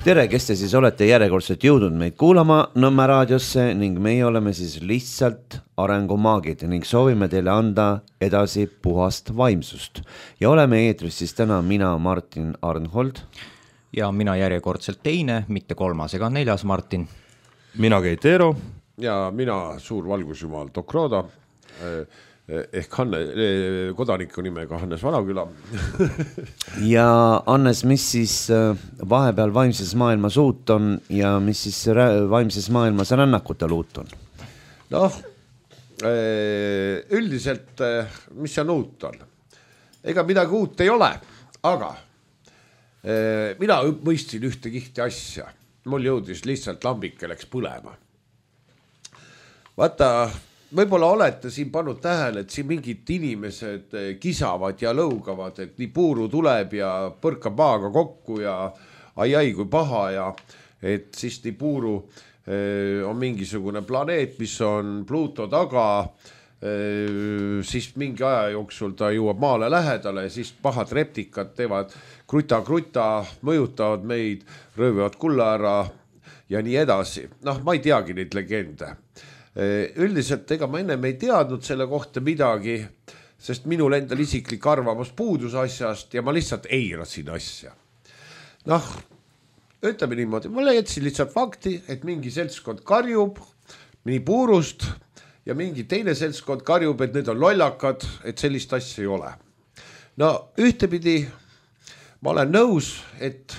Tere, kes te siis olete järjekordselt jõudnud meid kuulama Nõmme raadiosse ning meie oleme siis lihtsalt arengumaagid ning soovime teile anda edasi puhast vaimsust. Ja oleme eetris siis täna mina, Martin Arnhold. Ja mina järjekordselt teine, mitte kolmas ega neljas Martin. Mina Keit Eero. Ja mina suur valgusjumal Dokroda. Ehk kodaniku nimega Hannes Vanaküla. Ja Hannes, mis siis vahepeal vaimses maailmas uut on ja mis siis vaimses maailmas rännakutel uut on? Noh, üldiselt, mis see uut on? Ega midagi uut ei ole, aga mina mõistsin ühte kihti asja. Mul jõudis lihtsalt lambike läks põlema. Vaata, võib-olla olete siin pannud tähele, et siin mingid inimesed kisavad ja lõugavad, et nii puuru tuleb ja põrkab maaga kokku ja ai kui paha ja et siis nii puuru on mingisugune planeet, mis on Pluto taga, siis mingi aja jooksul ta jõuab maale lähedale ja siis pahad reptikad teevad kruta, mõjutavad meid, röövivad kulla ära ja nii edasi. Noh, ma ei teagi neid legende. Üldiselt ega ma ennem ei teadnud selle kohta midagi, sest minul endal isiklik arvamus puudus asjast ja ma lihtsalt eirasin asja. Noh, ütleme niimoodi, ma leidsin lihtsalt fakti, et mingi seltskond karjub nii puurust ja mingi teine seltskond karjub, et need on lollakad, et sellist asja ei ole. No ühtepidi ma olen nõus, et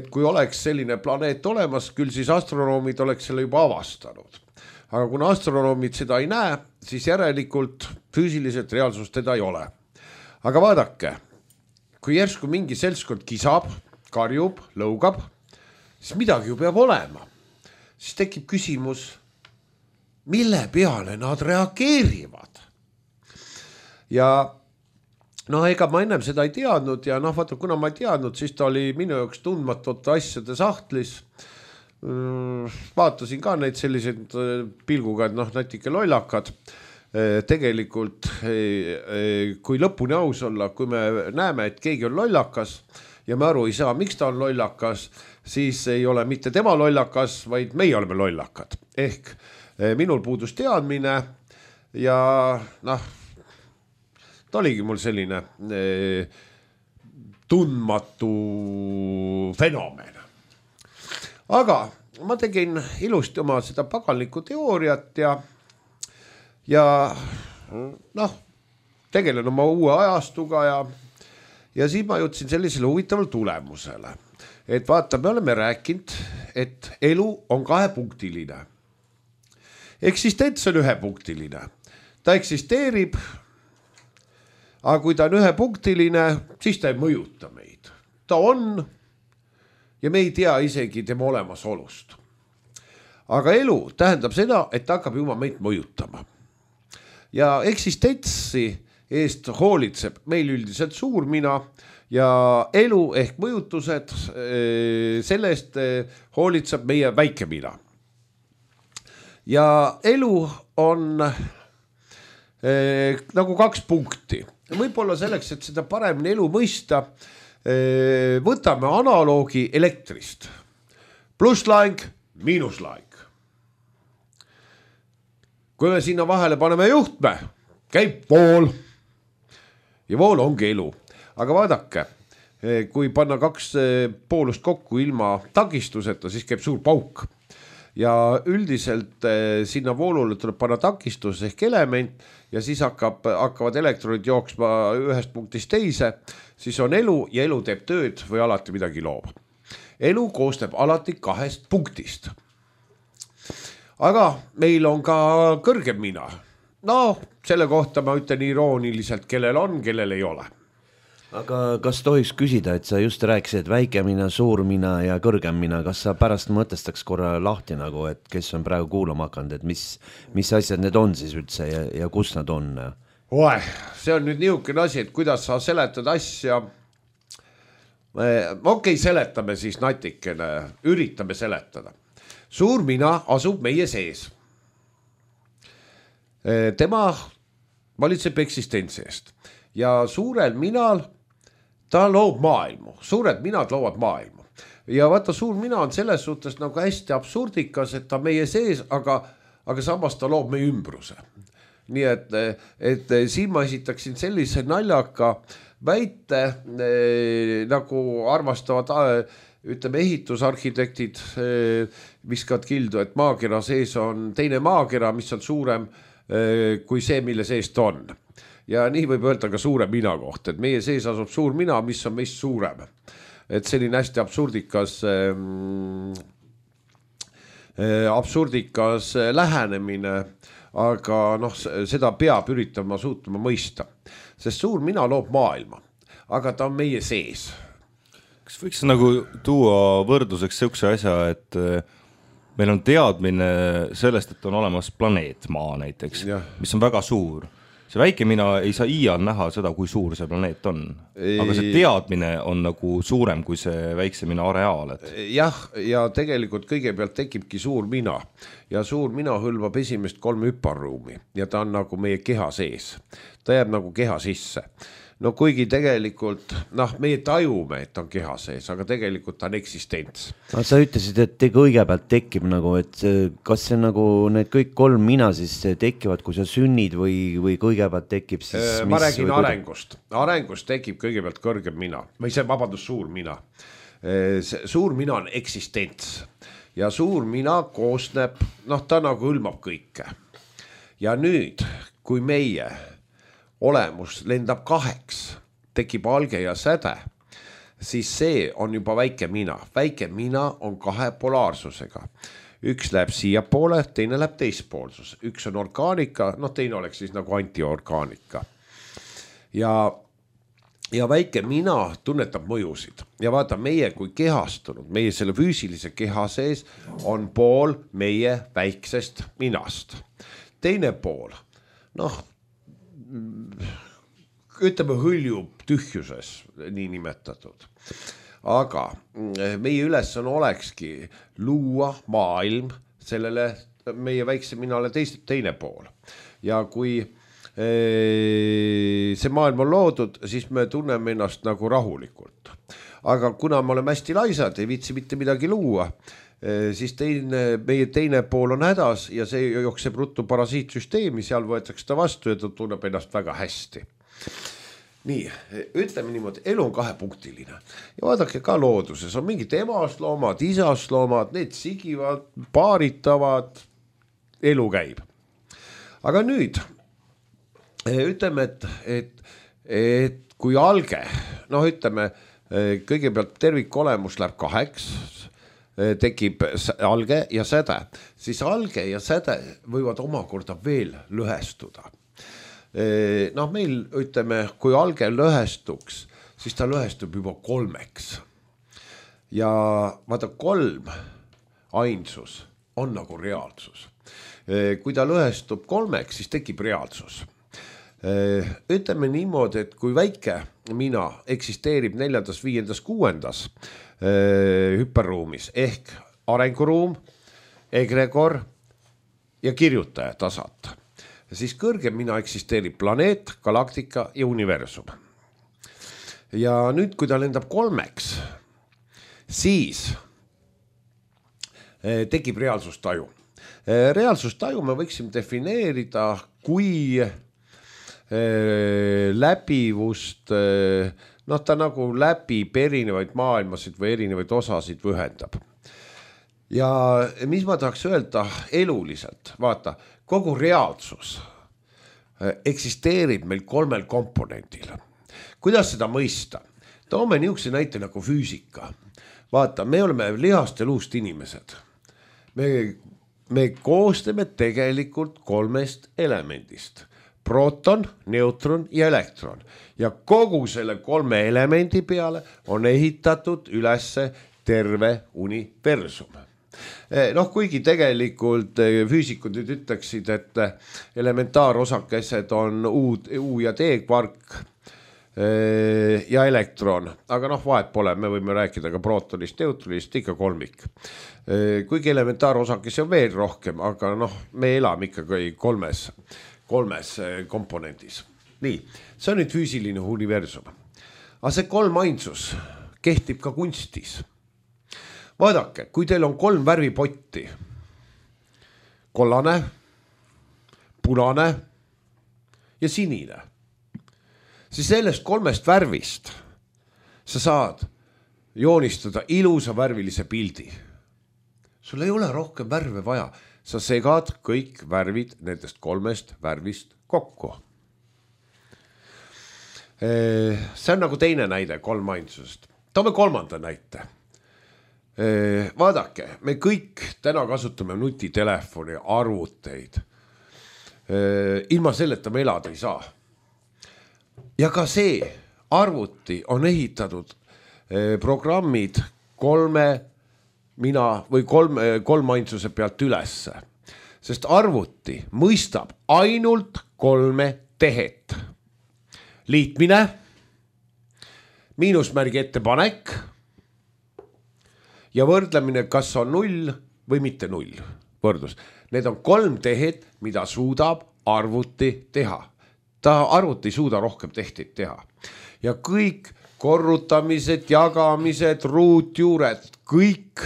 kui oleks selline planeet olemas, küll siis astronoomid oleks selle juba avastanud. Aga kuna astronoomid seda ei näe, siis järelikult füüsiliselt reaalsust teda ei ole. Aga vaadake, kui järsku mingi seltskond kisab, karjub, lõugab, siis midagi ju peab olema. Siis tekib küsimus, mille peale nad reageerivad. Ja noh, ega ma ennem seda ei teadnud ja noh, vaata, kuna ma ei teadnud, siis ta oli minu jaoks tundmatute asjade sahtlis. Vaatasin ka neid selliseid pilguga, et noh, natuke lollakad. Tegelikult, kui lõpuni aus olla, kui me näeme, et keegi on lollakas ja me aru ei saa, miks ta on lollakas, siis ei ole mitte tema lollakas, vaid meie oleme lollakad. Ehk minul puudus teadmine ja noh, ta oligi mul selline tundmatu fenomen. Aga ma tegin ilusti oma seda paganlikku teooriat ja noh, tegelen oma uue ajastuga ja siis ma jõudsin sellisele huvitaval tulemusele. Et vaata, me oleme rääkinud, et elu on kahepunktiline. Eksistents on ühepunktiline. Ta eksisteerib, aga kui ta on ühepunktiline, siis ta ei mõjuta meid. Ta on ja me ei tea isegi tema olemasolust. Aga elu tähendab seda, et ta hakkab juba meid mõjutama. Ja eksistentsi eest hoolitseb meil üldiselt suurmina ja elu ehk mõjutused selle eest hoolitseb meie väikemina. Ja elu on nagu kaks punkti. Võib-olla selleks, et seda paremini elu mõista, võtame analoogi elektrist. Plusslaing, miinuslaing. Kui me sinna vahele paneme juhtme, käib vool. Ja vool ongi elu. Aga vaadake, kui panna kaks poolust kokku ilma takistuseta, siis käib suur pauk. Ja üldiselt sinna voolule tuleb panna takistus ehk element ja siis hakkavad elektronid jooksma ühest punktist teise, siis on elu ja elu teeb tööd või alati midagi loob. Elu koosneb alati kahest punktist. Aga meil on ka kõrgem mina. No, selle kohta ma ütlen irooniliselt, kellel on, kellel ei ole. Aga kas tohiks küsida, et sa just rääkisid väikemina, suurmina ja kõrgemmina, kas sa pärast mõtestaks korra lahti nagu, et kes on praegu kuulama hakanud, et mis asjad need on siis üldse ja kus nad on? See on nüüd niisugune asi, et kuidas sa seletad asja. Okei, seletame siis natikene, üritame seletada. Suurmina asub meie sees. Tema valitseb eksistentsi eest ja suurel minal ta loob maailmu, suured minad loovad maailmu ja vaata, suur mina on selles suhtes nagu hästi absurdikas, et ta meie sees, aga samas ta loob meie ümbruse. Nii et siin ma esitaksin sellise naljaka väite, nagu armastavad ütleme ehitusarhitektid viskavad kildu, et maakera sees on teine maakera, mis on suurem kui see, mille sees ta on. Ja nii võib öelda ka suure mina kohta, et meie sees asub suur mina, mis on meist suurem. Et selline hästi absurdikas lähenemine, aga seda peab üritama suutma mõista. Sest suur mina loob maailma, aga ta on meie sees. Kas võiks nagu tuua võrdluseks sihukese asja, et meil on teadmine sellest, et on olemas planeet Maa näiteks, mis on väga suur. See väike mina ei saa iial näha seda, kui suur see planeet on. Aga see teadmine on nagu suurem kui see väikse mina areaal. Jah, ja tegelikult kõigepealt tekibki suur mina. Ja suur mina hõlmab esimest 3 hüparruumi ja ta on nagu meie keha sees. Ta jääb nagu keha sisse. No kuigi tegelikult, meie tajume, et on keha sees, aga tegelikult ta on eksistents. Sa ütlesid, et kõigepealt tekib nagu, et kas see nagu need kõik 3 mina siis tekivad, kui sa sünnid või kõigepealt tekib siis... Ma räägin arengust. Arengust tekib kõigepealt kõrgem mina. Või see vabandus suur mina. Suur mina on eksistents. Ja suur mina koosneb, ta nagu hõlmab kõike. Ja nüüd, kui meie... olemus lendab 2, tekib alge ja säde, siis see on juba väike mina. Väike mina on 2 polaarsusega. Üks läheb siia poole, teine läheb teispoolsus. Üks on orgaanika, teine oleks siis nagu antiorgaanika. Ja väike mina tunnetab mõjusid. Ja vaata, meie kui kehastunud, meie selle füüsilise keha sees on pool meie väiksest minast. Teine pool, ütleme hõljub tühjuses, nii nimetatud. Aga meie ülesanne olekski luua maailm sellele meie väikse minale teine pool. Ja kui see maailm on loodud, siis me tunneme ennast nagu rahulikult. Aga kuna me oleme hästi laisad, ei viitsi mitte midagi luua, siis meie teine pool on hädas ja see jookseb ruttu parasiitsüsteemi, seal võetakse ta vastu ja ta tunneb ennast väga hästi. Nii, ütleme niimoodi, elu on 2-punktiline. Ja vaadake ka looduses, on mingid emasloomad, isasloomad, need sigivad, paaritavad, elu käib. Aga nüüd, ütleme, et kui alge, ütleme, kõigepealt tervikolemus läheb 2, tekib alge ja säde, siis alge ja säde võivad omakorda veel lõhestuda. Meil ütleme, kui alge lõhestuks, siis ta lõhestub juba 3. Ja vaata 3 ainsus on nagu reaalsus. Kui ta lõhestub 3, siis tekib reaalsus. Ütleme niimoodi, et kui väike mina eksisteerib 4., 5., 6. hüperruumis ehk arenguruum, egregor ja kirjutaja tasand, siis kõrgem mina eksisteerib planeet, galaktika ja universum. Ja nüüd, kui ta lendab 3, siis tekib reaalsustaju. Reaalsustaju me võiksime defineerida kui läbivust, ta nagu läbib erinevaid maailmasid või erinevaid osasid ühendab. Ja mis ma tahaks öelda eluliselt, vaata, kogu reaalsus eksisteerib meil 3 komponendil. Kuidas seda mõista? Toome niisuguse näite nagu füüsika. Vaata, me oleme lihast ja luust inimesed. Me koostame tegelikult 3 elemendist. Proton, neutron ja elektron. Ja kogu selle 3 elemendi peale on ehitatud ülesse terve universum. Kuigi tegelikult füüsikud nüüd ütleksid, et elementaarosakesed on U ja D kvark ja elektron, aga vahet pole, me võime rääkida ka protonist, neutronist, ikka 3. Kuigi elementaarosakesi on veel rohkem, aga me elame ikkagi 3 komponendis. Nii, see on nüüd füüsiline universum. aga see kolmainsus kehtib ka kunstis. Vaadake, kui teil on 3 värvipotti, kollane, punane ja sinine, siis sellest 3 värvist sa saad joonistada ilusa värvilise pildi. Sul ei ole rohkem värve vaja, sa segad kõik värvid nendest 3 värvist kokku. See on nagu teine näide kolmainsusest. Toome 3. näite. Vaadake, me kõik täna kasutame nutitelefoni, arvuteid. Ilma selleta me elada ei saa. Ja ka see arvuti on ehitatud programmid kolmainsuse pealt ülesse. Sest arvuti mõistab ainult 3 tehet. Liitmine, miinusmärgi ettepanek ja võrdlemine, kas on 0 või mitte 0 võrdlus. Need on 3 tehed, mida suudab arvuti teha. Arvuti ei suuda rohkem tehteid teha. Ja kõik korrutamised, jagamised, ruutjuured, kõik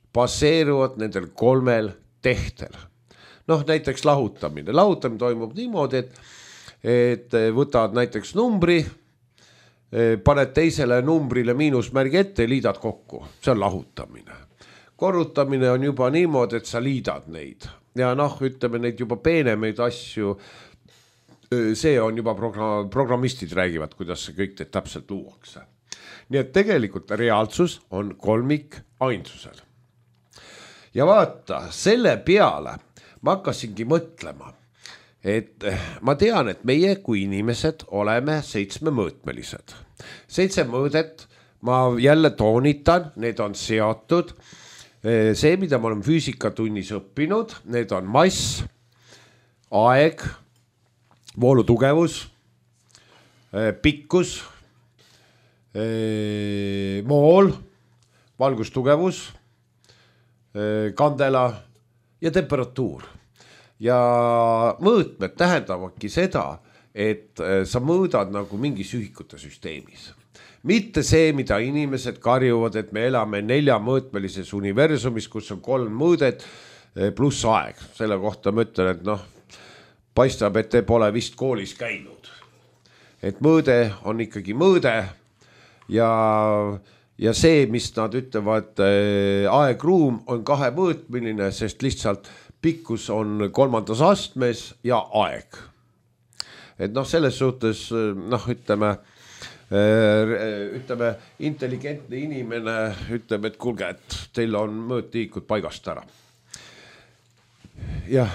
baseeruvad nendel 3 tehtel. Näiteks lahutamine. Lahutamine toimub niimoodi, et võtad näiteks numbri, paned teisele numbrile miinusmärgi ette ja liidad kokku. See on lahutamine. Korrutamine on juba niimoodi, et sa liidad neid. Ja ütleme neid juba peenemeid asju. See on juba programmistid räägivad, kuidas see kõik täpselt luuakse. Nii et tegelikult reaalsus on kolmikainsusel. Ja vaata, selle peale ma hakkasingi mõtlema, et ma tean, et meie kui inimesed oleme 7-mõõtmelised. 7 mõõdet, ma jälle toonitan, need on seotud. See, mida me oleme füüsikatunnis õppinud, need on mass, aeg, voolutugevus, pikkus, mool, valgustugevus, kandela ja temperatuur. Ja mõõtmed tähendavadki seda, et sa mõõdad nagu mingis ühikute süsteemis. Mitte see, mida inimesed karjuvad, et me elame 4-mõõtmelises universumis, kus on 3 mõõdet pluss aeg. Selle kohta ma ütlen, et paistab, et te pole vist koolis käinud. Et mõõde on ikkagi mõõde ja see, mis nad ütlevad, aeg-ruum on 2-mõõtmeline, sest lihtsalt pikkus on 3. astmes ja aeg. Et selles suhtes, ütleme, intelligentne inimene ütleb, et kuulge, et teil on mõõtliikud paigast ära. Jah.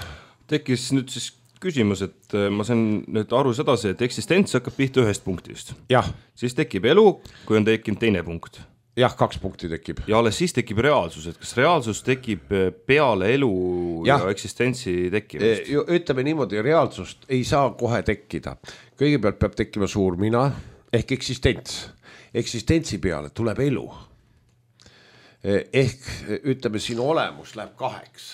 Tekkis nüüd siis küsimus, et ma saan nüüd aru sedasi, et eksistents hakkab pihta 1 punktist. Jah. Siis tekib elu, kui on tekkinud 2 punkt. Jah, 2 punkti tekib. Ja alles siis tekib reaalsus, et kas reaalsus tekib peale elu ja eksistentsi tekkimist? Ütleme niimoodi, reaalsust ei saa kohe tekkida. Kõigepealt peab tekkima suur mina ehk eksistents. Eksistentsi peale tuleb elu. Ehk ütleme, siin olemus läheb 2.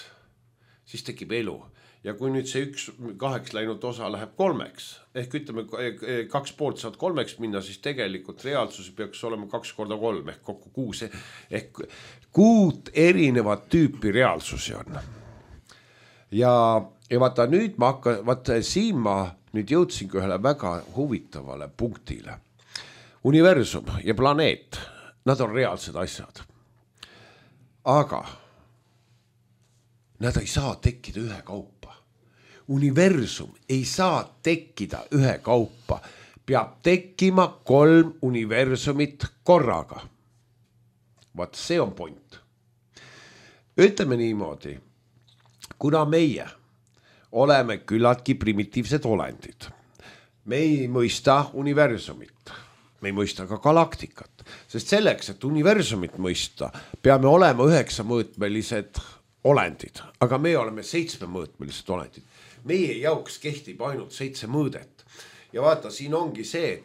Siis tekib elu. Ja kui nüüd see 2 läinud osa läheb 3, ehk ütleme 2 poolt saad 3 minna, siis tegelikult reaalsus peaks olema 2 korda 3 ehk kokku 6. Ehk 6 erinevat tüüpi reaalsusi on. Ja vaata nüüd siin ma nüüd jõudsingi ühele väga huvitavale punktile. Universum ja planeet, nad on reaalsed asjad. Aga nad ei saa tekkida ühekaupa. Universum ei saa tekkida ühekaupa. Peab tekkima 3 universumit korraga. Vaat see on point. Ütleme niimoodi, kuna meie oleme küllaltki primitiivsed olendid. Me ei mõista universumit. Me ei mõista ka galaktikat. Sest selleks, et universumit mõista, peame olema 9-mõõtmelised olendid, aga me oleme 7-mõõtmelised olendid. Meie jaoks kehtib ainult 7 mõõdet. Ja vaata, siin ongi see,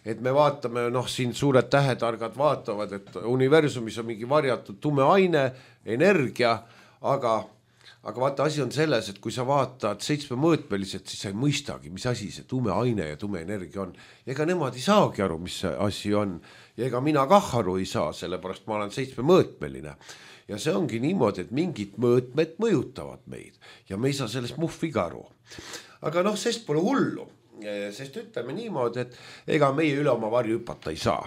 et me vaatame, siin suured tähetargad vaatavad, et universumis on mingi varjatud tume aine, energia, aga aga vaata, asi on selles, et kui sa vaatad 7-mõõtmeliselt, siis sa ei mõistagi, mis asi see tume aine ja tume energia on. Ega nemad ei saagi aru, mis see asi on. Ja ega mina kah aru ei saa, sellepärast ma olen 7-mõõtmeline. Ja see ongi niimoodi, et mingid mõõtmed mõjutavad meid ja me ei saa sellest muhviga aru. Aga noh, sest pole hullu, sest ütleme niimoodi, et ega meie üle oma varju hüpata ei saa.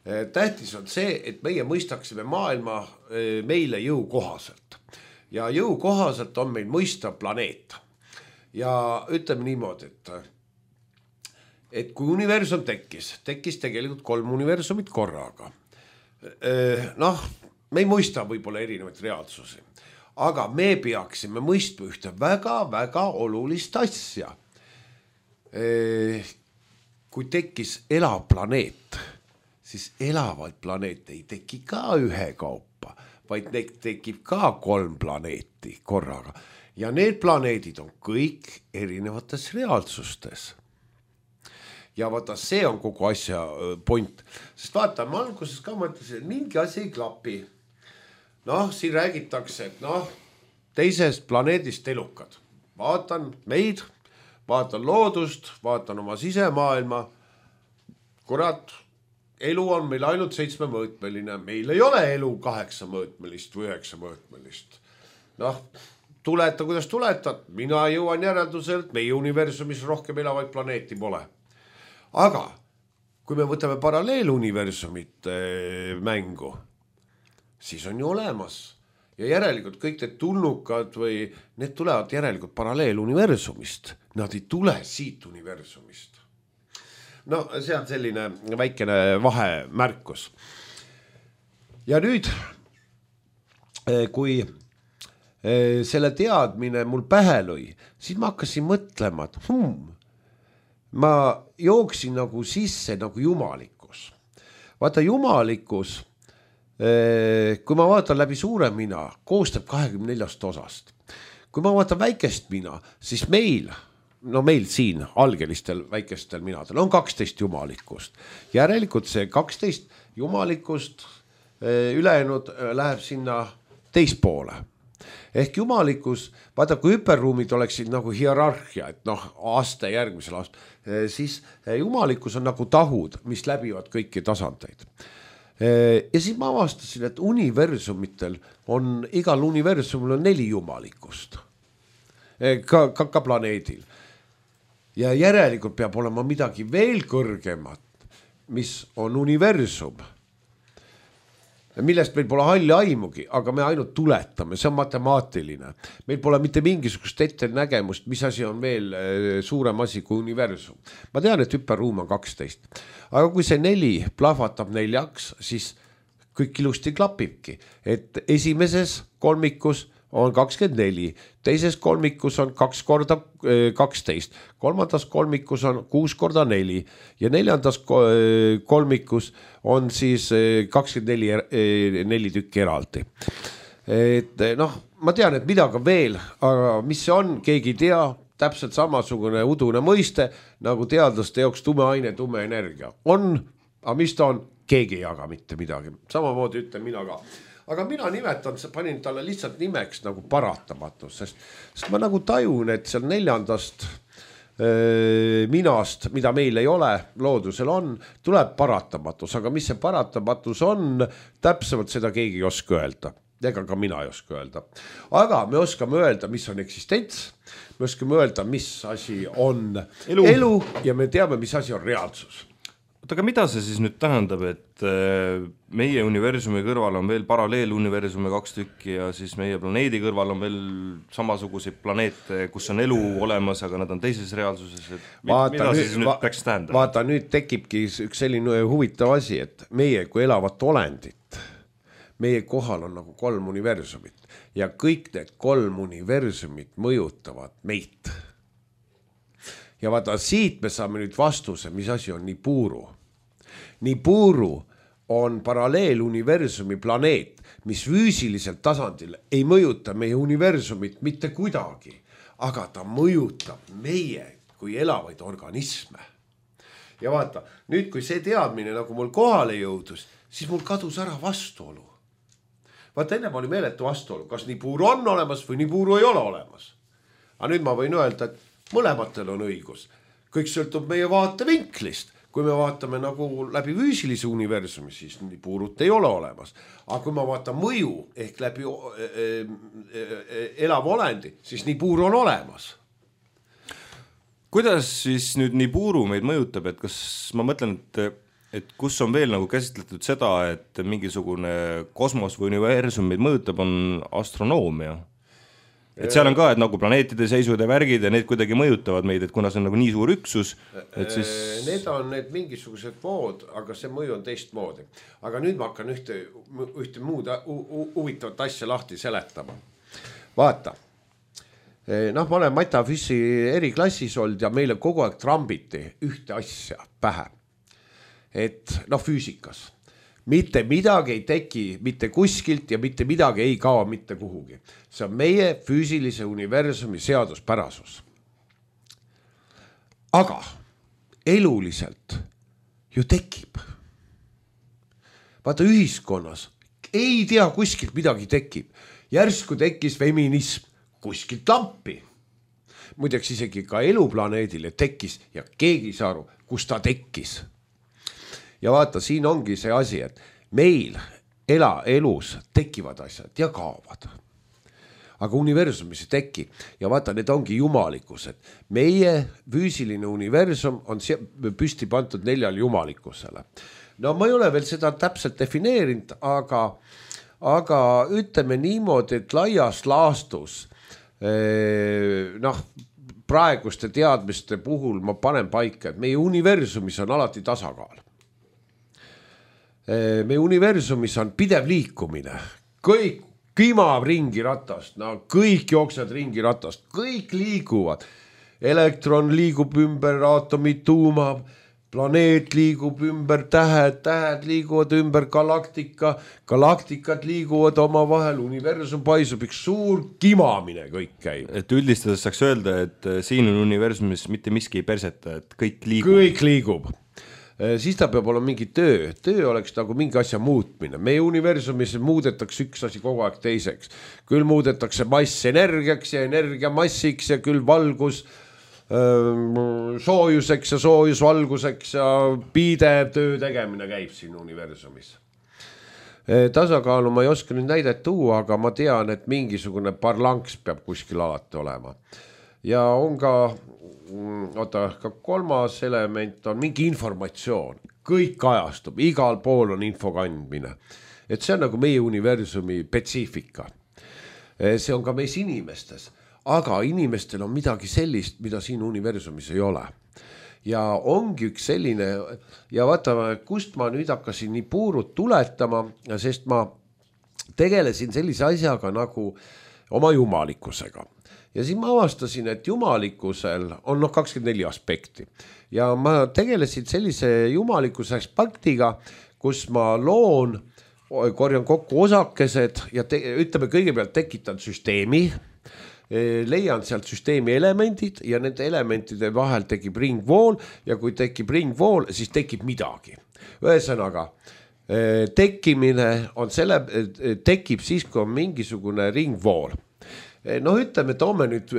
Tähtis on see, et meie mõistaksime maailma meile jõukohaselt. Ja jõukohaselt on meil mõistav planeet. Ja ütleme niimoodi, et kui universum tekkis tegelikult 3 universumit korraga. Noh, me ei mõista võib-olla erinevaid reaalsusi, aga me peaksime mõistma ühte väga-väga olulist asja. Kui tekkis elav planeet, siis elavaid planeete ei teki ka ühe kaupa, vaid tekib ka 3 planeeti korraga. Ja need planeedid on kõik erinevates reaalsustes. Ja vaata, see on kogu asja point. Sest vaata, ma alguses ka mõtlesin, et mingi asi ei klapi. Noh, siin räägitakse, et teisest planeedist elukad. Vaatan meid, vaatan loodust, vaatan oma sisemaailma. Kurat, elu on meil ainult 7-mõõtmeline. Meil ei ole elu 8-mõõtmelist või 9-mõõtmelist. Noh, tuleta, kuidas tuletad. Mina jõuan järelduselt, meie universumis rohkem elavaid planeeti pole. Aga kui me võtame paralleeluniversumit mängu, siis on ju olemas. Ja järelikult kõik need tulnukad või need tulevad järelikult paralleeluniversumist. Nad ei tule siit universumist. No see on selline väikene vahemärkus. Ja nüüd, kui selle teadmine mul pähe lõi, siis ma hakkasin mõtlema, et ma jooksin nagu sisse nagu jumalikkus. Vaata, jumalikkus, kui ma vaatan läbi suure mina, koostab 24 osast. Kui ma vaatan väikest mina, siis meil siin algelistel väikestel minadel on 12 jumalikkust. Järelikult see 12 jumalikkust ülejäänud läheb sinna teispoole. Ehk jumalikkus, vaata, kui hüperruumid oleksid nagu hierarhia, et aste järgmisel aast, siis jumalikkus on nagu tahud, mis läbivad kõiki tasandeid. Ja siis ma avastasin, et universumitel on, igal universumil on 4 jumalikkust. Ka planeedil. Ja järelikult peab olema midagi veel kõrgemat, mis on universum. Millest meil pole halli aimugi, aga me ainult tuletame, see on matemaatiline. Meil pole mitte mingisugust ettenägemust, mis asi on veel suurem asi kui universum. Ma tean, et hüperruum on 12. Aga kui see 4 plahvatab 4-ks, siis kõik ilusti klapibki. Et esimeses kolmikus on 24, teises kolmikus on 2 korda 12, kolmandas kolmikus on 6 korda 4 ja 4. kolmikus on siis 24 tükki eraldi. Et ma tean, et midagi veel, aga mis see on, keegi ei tea, täpselt samasugune udune mõiste, nagu teadlaste jaoks tume aine, tume energia. On, aga mis ta on, keegi ei jaga mitte midagi. Samamoodi ütlen mina ka. Aga mina nimetan, panin talle lihtsalt nimeks nagu paratamatus, sest ma nagu tajun, et seal 4. minast, mida meil ei ole, loodusel on, tuleb paratamatus, aga mis see paratamatus on, täpsemalt seda keegi ei oska öelda. Ega ka mina ei oska öelda. Aga me oskame öelda, mis on eksistents, me oskame öelda, mis asi on elu ja me teame, mis asi on reaalsus. Aga mida see siis nüüd tähendab, et meie universumi kõrval on veel paralleeluniversumi 2 tükki ja siis meie planeedi kõrval on veel samasuguseid planeete, kus on elu olemas, aga nad on teises reaalsuses. Mida siis nüüd peaks tähendama? Vaata, nüüd tekibki üks selline huvitav asi, et meie kui elavat olendit, meie kohal on nagu 3 universumit ja kõik need 3 universumit mõjutavad meid. Ja vaata, siit me saame nüüd vastuse, mis asi on Nibiru. Nibiru on paralleeluniversumi planeet, mis füüsiliselt tasandil ei mõjuta meie universumit mitte kuidagi, aga ta mõjutab meie kui elavaid organisme. Ja vaata, nüüd kui see teadmine nagu mul kohale jõudus, siis mul kadus ära vastuolu. vaata ennem oli meeletu vastuolu, kas Nibiru on olemas või Nibiru ei ole olemas. Aga nüüd ma võin öelda, et mõlematel on õigus. Kõik sõltub meie vaatevinklist. Kui me vaatame nagu läbi füüsilise universumi, siis Nibirut ei ole olemas. Aga kui ma vaatan mõju ehk läbi elav olendi, siis Nibiru on olemas. Kuidas siis nüüd Nibiru meid mõjutab, et kas ma mõtlen, et kus on veel nagu käsitletud seda, et mingisugune kosmos või universum meid mõjutab, on astronoomia? Et seal on ka, et nagu planeetide seisud ja värgid ja need kuidagi mõjutavad meid, et kuna see on nagu nii suur üksus, et siis... Need on need mingisugused vood, aga see mõju on teistmoodi. Aga nüüd ma hakkan ühte muud huvitavat asja lahti seletama. Vaata, ma olen Matafissi eriklassis olnud ja meile kogu aeg trambiti ühte asja pähe. Et füüsikas. Mitte midagi ei teki mitte kuskilt ja mitte midagi ei kao mitte kuhugi. See on meie füüsilise universumi seaduspärasus. Aga eluliselt ju tekib. Vaata ühiskonnas ei tea kuskilt midagi tekib. Järsku tekkis feminism kuskilt lampi. Muideks isegi ka eluplaneedile tekkis ja keegi ei saa aru, kus ta tekkis. Ja vaata, siin ongi see asi, et meil elus tekivad asjad ja kaovad. Aga universumis ei teki. Ja vaata, need ongi jumalikkused. Meie füüsiline universum on püsti pandud 4 jumalikkusele. No ma ei ole veel seda täpselt defineerinud, aga ütleme niimoodi, et laias laastus praeguste teadmiste puhul ma panen paika, et meie universumis on alati tasakaal. Meie universumis on pidev liikumine, kõik kimab ringi ratast, kõik jooksed ringi ratast, kõik liiguvad. Elektron liigub ümber, aatomid tuumab, planeet liigub ümber, tähed liiguvad ümber, galaktikad liiguvad oma vahel, universum paisub, üks suur kimamine kõik käib. Et üldistades saaks öelda, et siin on universumis mitte miski ei perseta, et kõik liigub. Kõik liigub. Siis ta peab olema mingi töö. Töö oleks nagu mingi asja muutmine. Meie universumis muudetakse üks asi kogu aeg teiseks. Küll muudetakse mass energiaks ja energia massiks ja küll valgus soojuseks ja soojus valguseks ja pidev töö tegemine käib siin universumis. Tasakaalu ma ei oska nüüd näidet tuua, aga ma tean, et mingisugune parlanks peab kuskil alati olema. Ja on ka kolmas element on mingi informatsioon. Kõik kajastub, igal pool on info kandmine. Et see on nagu meie universumi spetsiifika. See on ka meis inimestes. Aga inimestel on midagi sellist, mida siin universumis ei ole. Ja ongi üks selline, ja vaata, kust ma nüüd hakkasin Nibirut tuletama, sest ma tegelesin sellise asjaga nagu oma jumalikkusega. Ja siin ma avastasin, et jumalikkusel on 24 aspekti. Ja ma tegelesin sellise jumalikkuse aspektiga, kus ma loon, korjan kokku osakesed ja ütleme kõigepealt tekitan süsteemi, leian sealt süsteemi elemendid ja nende elementide vahel tekib ringvool ja kui tekib ringvool, siis tekib midagi. Ühesõnaga, tekkimine on tekib siis, kui on mingisugune ringvool. Ütleme, toome nüüd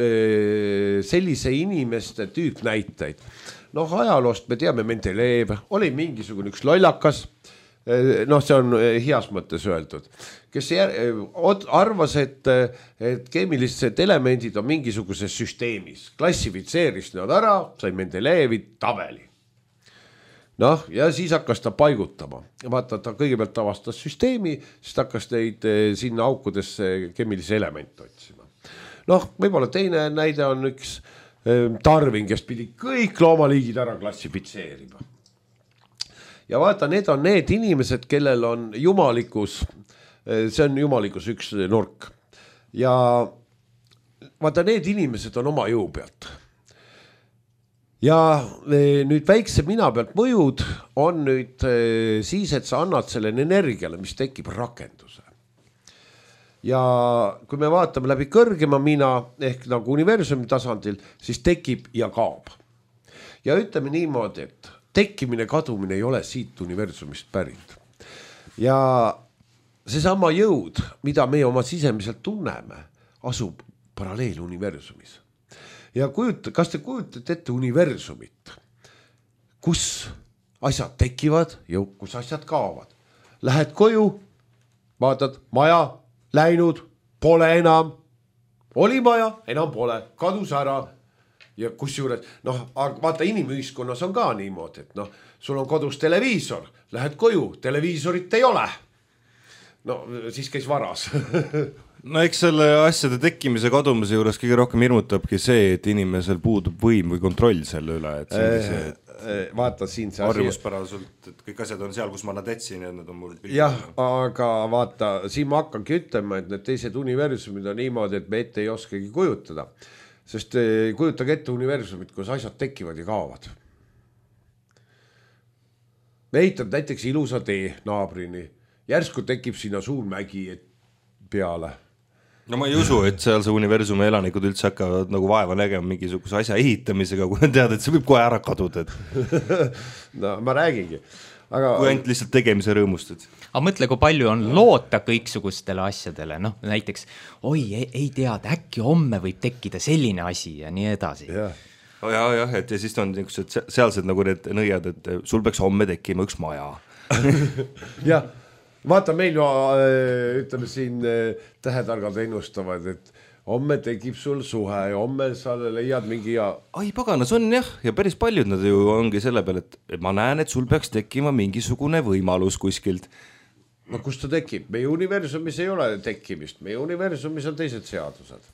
sellise inimeste tüüp näiteid. Ajaloost me teame Mendeleev, oli mingisugune üks lollakas, see on heas mõttes öeldud, kes arvas, et keemilised elemendid on mingisuguses süsteemis, klassifitseeris nad ära, sai Mendeleevi tabeli. Ja siis hakkas ta paigutama. Vaata, ta kõigepealt avastas süsteemi, siis hakkas teid sinna aukudesse keemilise elemente otsima. Võib-olla teine näide on üks Darwin, kes pidi kõik loomaliigid ära klassifitseerima. Ja vaata, need on need inimesed, kellel on jumalikkus, see on jumalikkus üks nurk. Ja vaata, need inimesed on oma jõu pealt. Ja nüüd väikse mina pealt mõjud on nüüd siis, et sa annad selle energiale, mis tekib rakenduse. Ja kui me vaatame läbi kõrgema mina ehk nagu universumi tasandil, siis tekib ja kaob. Ja ütleme niimoodi, et tekkimine, kadumine ei ole siit universumist pärit. Ja seesama jõud, mida me oma sisemiselt tunneme, asub paralleeluniversumis. Ja kas te kujutate ette universumit, kus asjad tekivad ja kus asjad kaovad? Lähed koju, vaatad, maja, läinud, pole enam. Oli maja, enam pole, kadus ära. Ja kusjuures, vaata inimühiskonnas on ka niimoodi, et sul on kodus televiisor, lähed koju, televiisorit ei ole. No siis käis varas. No eks selle asjade tekkimise kadumise juures kõige rohkem hirmutabki see, et inimesel puudub võim või kontroll selle üle, et see vaata siin see harjumuspäraselt, et kõik asjad on seal, kus ma nad etsin ja need on mul jah, aga vaata, siin ma hakkangi ütlema, et need teised universumid on niimoodi, et me ette ei oskagi kujutada. Sest kujutage ette universumit, kus asjad tekivad ja kaovad. Me ehitad näiteks ilusa tee naabrini. Järsku tekib sinna suur mägi peale. No ma ei usu, et seal see universumi elanikud üldse hakkavad nagu vaeva nägema mingisuguse asja ehitamisega, kui tead, et see võib kohe ära kaduda. No ma räägingi. Aga kui ainult lihtsalt tegemise rõõmustad. Aga mõtle, kui palju on loota kõiksugustele asjadele, näiteks ei tead, äkki homme võib tekkida selline asi ja nii edasi. Ja, et ja siis on sealsed nagu need nõiad, et sul peaks homme tekkima üks maja. Jah, vaata meil ju, ütleme siin tähetargad ennustavad, et homme tekib sul suhe ja homme sa leiad mingi Ai paganas on jah, ja päris paljud nad ju ongi selle peale, et ma näen, et sul peaks tekkima mingisugune võimalus kuskilt. No kus ta tekib? Meie universumis ei ole tekkimist, meie universumis on teised seadused.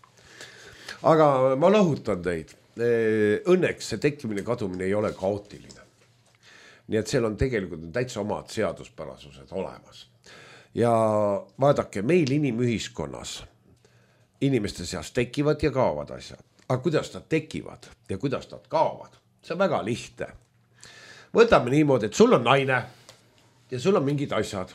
Aga ma lahutan teid. Õnneks see tekkimine kadumine ei ole kaootiline. Nii et seal on tegelikult täitsa omad seaduspärasused olemas. Ja vaadake, meil inimühiskonnas inimeste seas tekivad ja kaovad asjad. Aga kuidas nad tekivad ja kuidas nad kaovad? See on väga lihtne. Võtame niimoodi, et sul on naine ja sul on mingid asjad.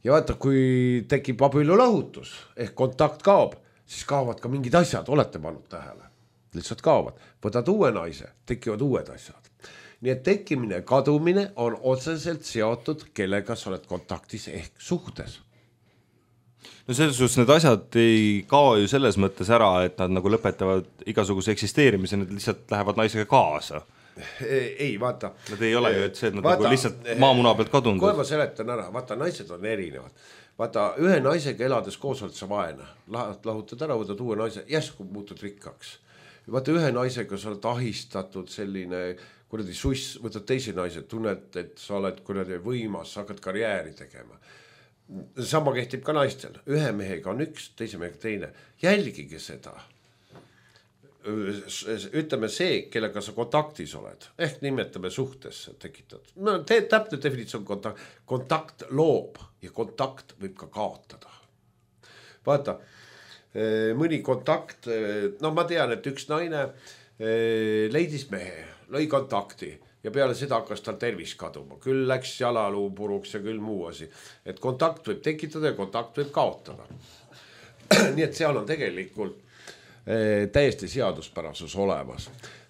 Ja vaata, kui tekib abielulahutus ehk kontakt kaob, siis kaovad ka mingid asjad, olete pannud tähele. Lihtsalt kaovad. Võtad uue naise, tekivad uued asjad. Nii et tekkimine ja kadumine on otseselt seotud, kellega sa oled kontaktis ehk suhtes. No selles suhtes need asjad ei kao ju selles mõttes ära, et nad nagu lõpetavad igasuguse eksisteerimise, need lihtsalt lähevad naisega kaasa. Ei, vaata. Nad ei ole ju, et see, et nad vaata, nagu lihtsalt maamuna pealt kadunud. Kohe ma seletan ära, vaata, naised on erinevad. Vaata, ühe naisega elades koos oled sa vaene. Lahutad ära, võtad uue naise, järsku muutud rikkaks. Vaata, ühe naisega sa oled ahistatud selline kuradi suss, võtad teise naise, tunned, et sa oled kuradi võimas, sa hakkad karjääri tegema. Sama kehtib ka naistel. Ühe mehega on üks, teise mehega teine. Jälgige seda. Ütleme see, kellega sa kontaktis oled. Ehk nimetame suhtesse tekitad. No, täpne definitsioon kontakt loob ja kontakt võib ka kaotada. Vaata, mõni kontakt, ma tean, et üks naine leidis mehe, lõi kontakti. Ja peale seda hakkas tal tervis kaduma. Küll läks jalaluu puruks ja küll muu asi. Et kontakt võib tekitada ja kontakt võib kaotada. Nii et seal on tegelikult täiesti seaduspärasus olemas.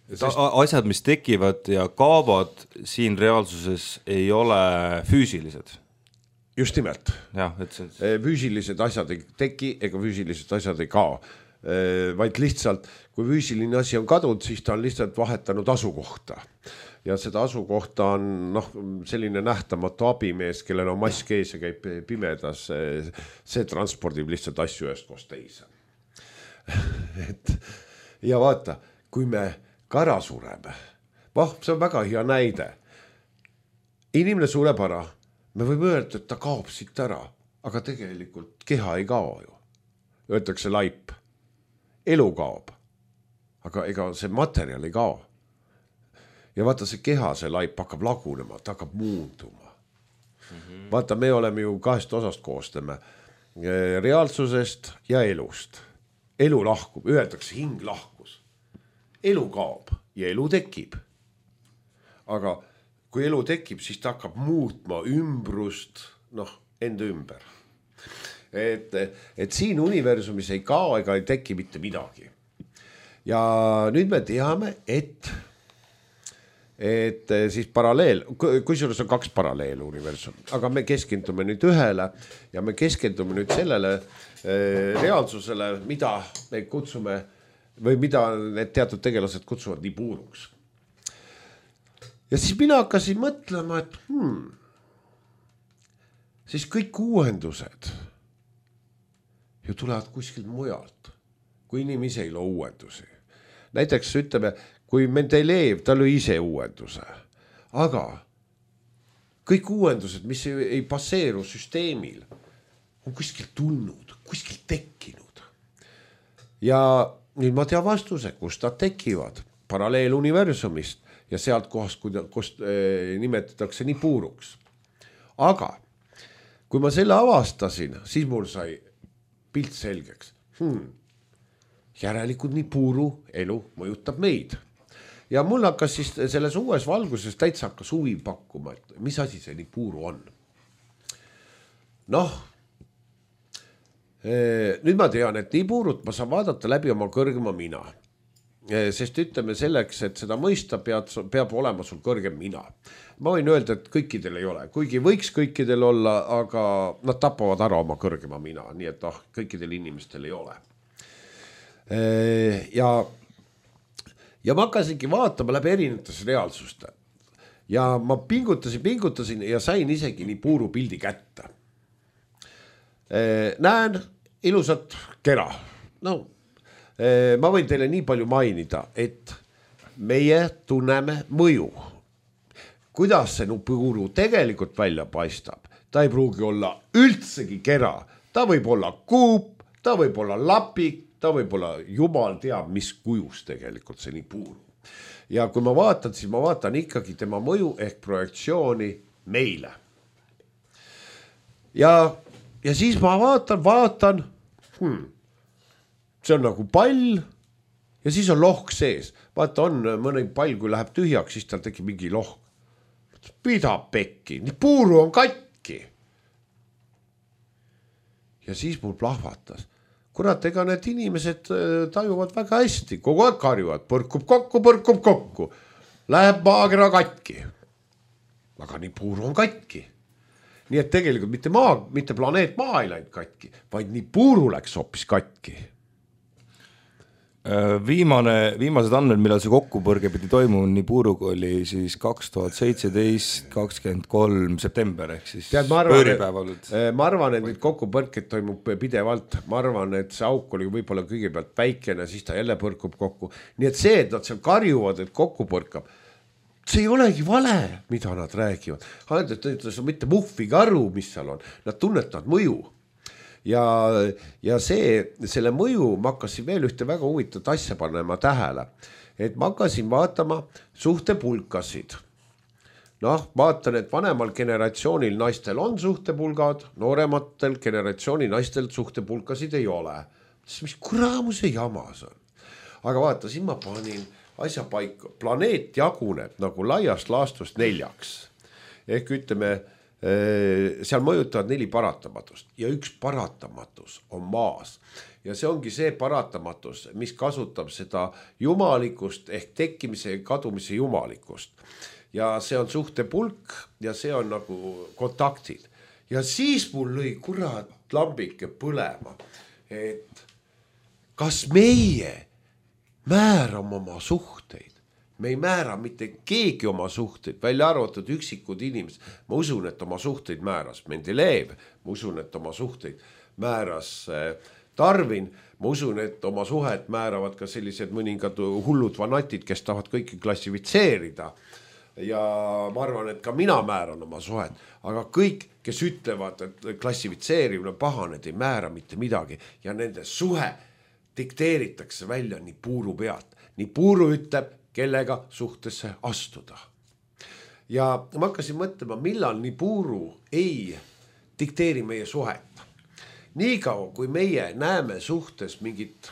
Asjad, mis tekivad ja kaovad siin reaalsuses ei ole füüsilised. Just nimelt. Ja, füüsilised asjad ei teki ega füüsilised asjad ei kao. Vaid lihtsalt, kui füüsiline asi on kadunud, siis ta on lihtsalt vahetanud asukohta. Ja seda asukohta on selline nähtamatu abimees, kellel on mask ees ja käib pimedas. See transpordib lihtsalt asju ühest koos teise. Ja vaata, kui me ka ära sureme, see on väga hea näide. Inimene sureb ära, me võime öelda, et ta kaob siit ära, aga tegelikult keha ei kao ju. Öeldakse laip, elu kaob, aga ega see materjal ei kao. Ja vaata see keha, see laip hakkab lagunema, ta hakkab muunduma. Vaata, me oleme ju kahest osast koostame, reaalsusest ja elust. Elu lahkub, öeldakse hing lahkus. Elu kaob ja elu tekib. Aga kui elu tekib, siis ta hakkab muutma ümbrust, enda ümber. Et siin universumis ei kao ega ei teki mitte midagi. Ja nüüd me teame, et et siis paralleel, kusjuures on 2 paralleeluniversumit, aga me keskendume nüüd ühele ja me keskendume nüüd sellele reaalsusele, mida me kutsume või mida need teatud tegelased kutsuvad Nibiruks. Ja siis mina hakkasin mõtlema, et siis kõik uuendused ju tulevad kuskilt mujalt, kui inimese ei loo uuendusi. Näiteks ütleme, kui Mendelejev, ta lõi ise uuenduse, aga kõik uuendused, mis ei baseeru süsteemil, on kuskilt tulnud, kuskilt tekkinud. Ja nüüd ma tean vastuse, kust nad tekivad, paralleeluniversumist ja sealt kohast, kust nimetatakse Nibiruks. Aga kui ma selle avastasin, siis mul sai pilt selgeks. Järelikult Nibiru elu mõjutab meid. Ja mul hakkas siis selles uues valguses täitsa hakkas huvi pakkuma, et mis asi see Nibiru on. Noh, nüüd ma tean, et Nibirut ma saan vaadata läbi oma kõrgema mina. Sest ütleme selleks, et seda mõista peab olema sul kõrgem mina. Ma võin öelda, et kõikidel ei ole, kuigi võiks kõikidel olla, aga nad tapavad ära oma kõrgema mina, nii et kõikidel inimestel ei ole. Ja ma hakkasingi vaatama läbi erinevates reaalsuste ja ma pingutasin ja sain isegi Nibiru pildi kätte. Näen ilusat kera. No, ma võin teile nii palju mainida, et meie tunneme mõju. Kuidas see Nibiru tegelikult välja paistab? Ta ei pruugi olla üldsegi kera. Ta võib olla kuup, ta võib olla lapik, ta võib olla jumal teab, mis kujus tegelikult see Nibiru. Ja kui ma vaatan, siis ma vaatan ikkagi tema mõju ehk projektsiooni meile. Ja siis ma vaatan, see on nagu pall ja siis on lohk sees. Vaata, on mõni pall, kui läheb tühjaks, siis tal tekib mingi lohk. Pida pekki, Nibiru on katki. Ja siis mul plahvatas. Kurat, ega need inimesed tajuvad väga hästi, kogu aeg karjuvad, põrkub kokku. Läheb maakera katki. Aga Nibiru on katki. Nii et tegelikult mitte planeet Maa ei läinud katki, vaid Nibiru läks hoopis katki. Viimased andmed, millal see kokkupõrge pidi toimuma Nibiruga oli siis 2017, 23 september ehk siis pööripäeval. Ma arvan, et nüüd kokkupõrked toimub pidevalt. Ma arvan, et see auk oli võib-olla kõigepealt väikene, siis ta jälle põrkub kokku. Nii et see, et nad seal karjuvad, et kokku põrkab, see ei olegi vale, mida nad räägivad. See on mitte muhvigi aru, mis seal on. Nad tunnetavad mõju. Ja selle mõju ma hakkasin veel ühte väga huvitavat asja panema tähele, et ma hakkasin vaatama suhtepulkasid. Noh, vaatan, et vanemal generatsioonil naistel on suhtepulgad, noorematel generatsiooni naistel suhtepulkasid ei ole. Mis kuramuse jamas on. Aga vaata, siin ma panin asja paika. Planeet jaguneb nagu laiast laastust 4. Ehk ütleme, seal mõjutavad 4 paratamatust ja üks paratamatus on maas. Ja see ongi see paratamatus, mis kasutab seda jumalikust ehk tekkimise ja kadumise jumalikust. Ja see on suhtepulk ja see on nagu kontaktid. Ja siis mul lõi kurat lambike põlema, et kas meie määrame oma suhteid. Me ei määra mitte keegi oma suhteid, välja arvatud üksikud inimesed. Ma usun, et oma suhteid määras Mendelejev, ma usun, et oma suhteid määras Darwin, ma usun, et oma suhet määravad ka sellised mõningad hullud vanatid, kes tahavad kõiki klassifitseerida. Ja ma arvan, et ka mina määran oma suhet, aga kõik, kes ütlevad, et klassifitseerimine paha, need ei määra mitte midagi ja nende suhe dikteeritakse välja Nibiru pealt. Nibiru ütleb, kellega suhtesse astuda. Ja ma hakkasin mõtlema, millal Nibiru ei dikteeri meie suhet. Niikaua, kui meie näeme suhtes mingit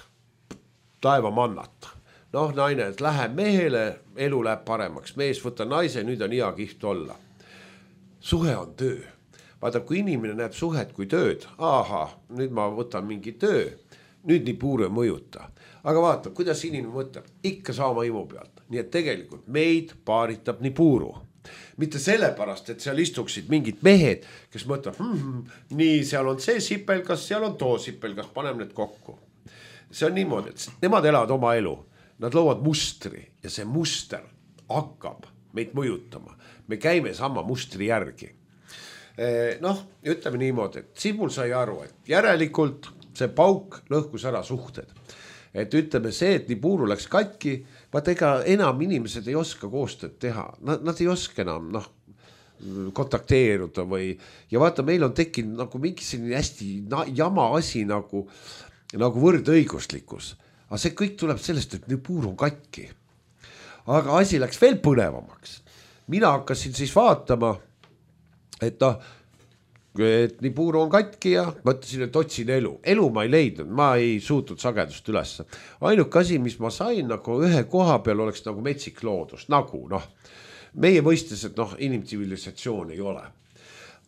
taevamannat. Noh, naine, et läheb mehele, elu läheb paremaks. Mees võtta naise, nüüd on hea kiht olla. Suhe on töö. Vaata, kui inimene näeb suhet kui tööd, nüüd ma võtan mingi töö, nüüd nii puuru ei mõjuta. Aga vaata, kuidas inimene mõtleb, ikka saama imu pealt. Nii et tegelikult meid paaritab nii puuru. Mitte sellepärast, et seal istuksid mingid mehed, kes mõtlevad, nii seal on see sipelgas, seal on too sipelgas, paneme need kokku. See on niimoodi, et nemad elavad oma elu. Nad loovad mustri ja see muster hakkab meid mõjutama. Me käime sama mustri järgi. Noh, ütleme niimoodi, et Sibul sai aru, et järelikult see pauk lõhkus ära suhted. Et ütleme see, et nii puuru läks katki, vaata ega enam inimesed ei oska koostööd teha. Nad ei oska enam kontakteeruda või, ja vaata, meil on tekkinud nagu mingi selline hästi jama asi nagu võrdõiguslikkus. Aga see kõik tuleb sellest, et nii puur on katki. Aga asi läks veel põnevamaks. Mina hakkasin siis vaatama, et nii puuru on katki ja mõtlesin, et otsin elu. Elu ma ei leidnud, ma ei suutnud sagedust üles. Ainuke asi, mis ma sain nagu ühe koha peal oleks nagu metsik loodus, nagu meie mõistes, et inimtsivilisatsioon ei ole.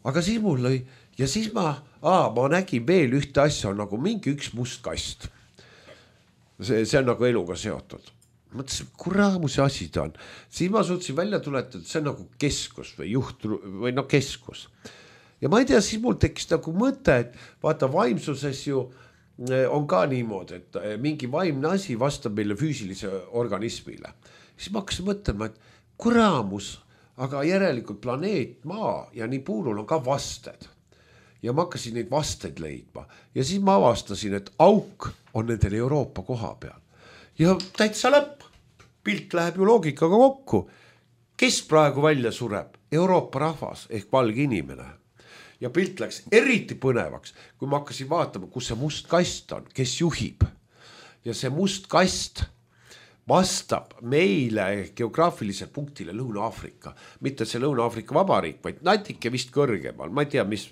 Aga siis mul lõi ja siis ma nägin veel ühte asja, nagu mingi üks must kast. See on nagu eluga seotud. Mõtlesin, kuraamus asi ta on. Siis ma suutsin välja tuletada, et see on nagu keskus või juht või keskus. Ja ma ei tea, siis mul tekkis nagu mõte, et vaata vaimsuses ju on ka niimoodi, et mingi vaimne asi vastab meile füüsilise organismile. Siis ma hakkasin mõtlema, et kuraamus, aga järelikult planeet Maa ja nii puurul on ka vasted. Ja ma hakkasin neid vasteid leidma. Ja siis ma avastasin, et auk on nendel Euroopa koha peal. Ja täitsa lõpp. Pilt läheb ju loogikaga kokku. Kes praegu välja sureb? Euroopa rahvas ehk valge inimene. Ja pilt läks eriti põnevaks, kui ma hakkasin vaatama, kus see must kast on, kes juhib. Ja see must kast vastab meile geograafiliselt punktile Lõuna-Aafrika. Mitte see Lõuna-Aafrika vabariik, vaid natuke vist kõrgemal. Ma ei tea, mis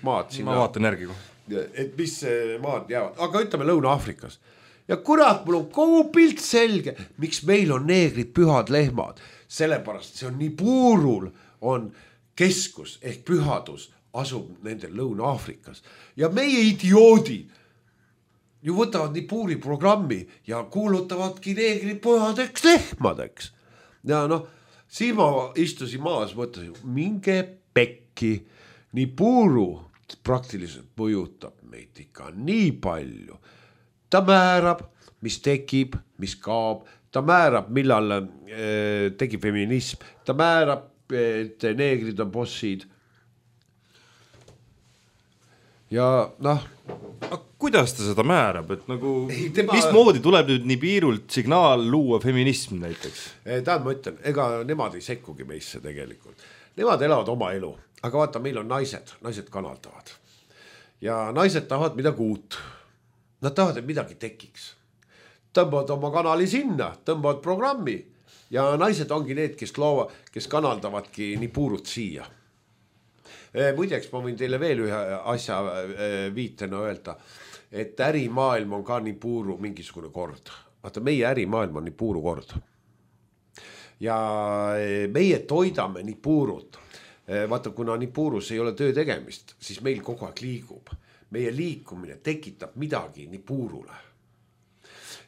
maad siin. Ma vaatan järgi. Et mis maad jäävad. Aga ütleme Lõuna-Aafrikas. Ja kurat, mul on kogu pilt selge, miks meil on neegrid pühad lehmad. Sellepärast see on nii puurul on keskus ehk pühadus asub nendel Lõuna-Aafrikas. Ja meie idioodid ju võtavad nii puuri programmi ja kuulutavadki neegrid pühadeks lehmadeks. Ja siis ma istusin maas, mõtlesin, minge pekki, nii puuru praktiliselt mõjutab meid ikka nii palju. Ta määrab, mis tekib, mis kaob, ta määrab, millal tekib feminism, ta määrab, et neegrid on bossid. Ja kuidas ta seda määrab, et mismoodi tuleb nüüd nii piirult signaal luua feminism näiteks? Tähendab, ma ütlen, ega nemad ei sekkugi meisse tegelikult. Nemad elavad oma elu, aga vaata, meil on naised kanaldavad. Ja naised tahavad midagi uut. Nad tahavad, et midagi tekiks. Tõmbavad oma kanali sinna, tõmbavad programmi ja naised ongi need, kes kanaldavadki nii puurut siia. Muideks ma võin teile veel ühe asja viitena öelda, et ärimaailm on ka nii puuru mingisugune kord. Vaata, meie ärimaailm on nii puuru kord. Ja meie toidame nii puurut. Vaata, kuna nii puurus ei ole töö tegemist, siis meil kogu aeg liigub. Meie liikumine tekitab midagi nii puurule.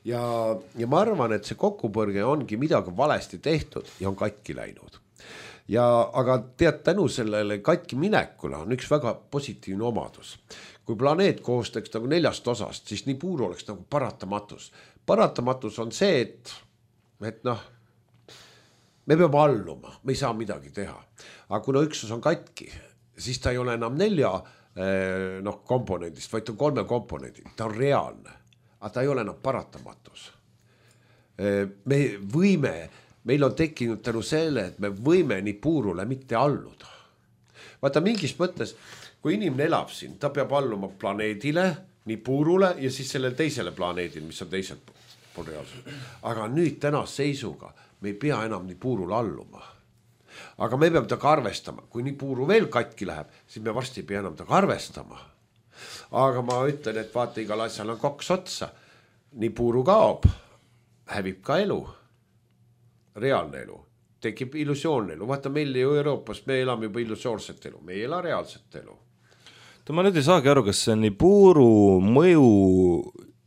Ja ma arvan, et see kokkupõrge ongi midagi valesti tehtud ja on katki läinud. Aga tead, tänu sellele katki minekule on üks väga positiivne omadus. Kui planeet koostaks nagu 4 osast, siis nii puur oleks nagu paratamatus. Paratamatus on see, et me peame alluma, me ei saa midagi teha. Aga kuna üksus on katki, siis ta ei ole enam 4 komponendist, vaid on 3 komponendid. Ta on reaalne, aga ta ei ole enam paratamatus. Meil on tekkinud tänu selle, et me võime nii puurule mitte alluda. Vaata, mingis mõttes, kui inimene elab siin, ta peab alluma planeedile, nii puurule ja siis sellele teisele planeedile, mis on teiselt pool reaalselt. Aga nüüd tänase seisuga me ei pea enam nii puurule alluma. Aga me peame taga arvestama. Kui nii puuru veel katki läheb, siis me varsti ei pea enam taga arvestama. Aga ma ütlen, et vaata, igal asjal on 2 otsa. Nii puuru kaob, hävib ka elu. Reaalne elu. Tekib illusioonne elu. Vaata, meil ju Euroopas me elame juba illusioonset elu. Me ei ela reaalset elu. Ma nüüd ei saagi aru, kas see nii puuru mõju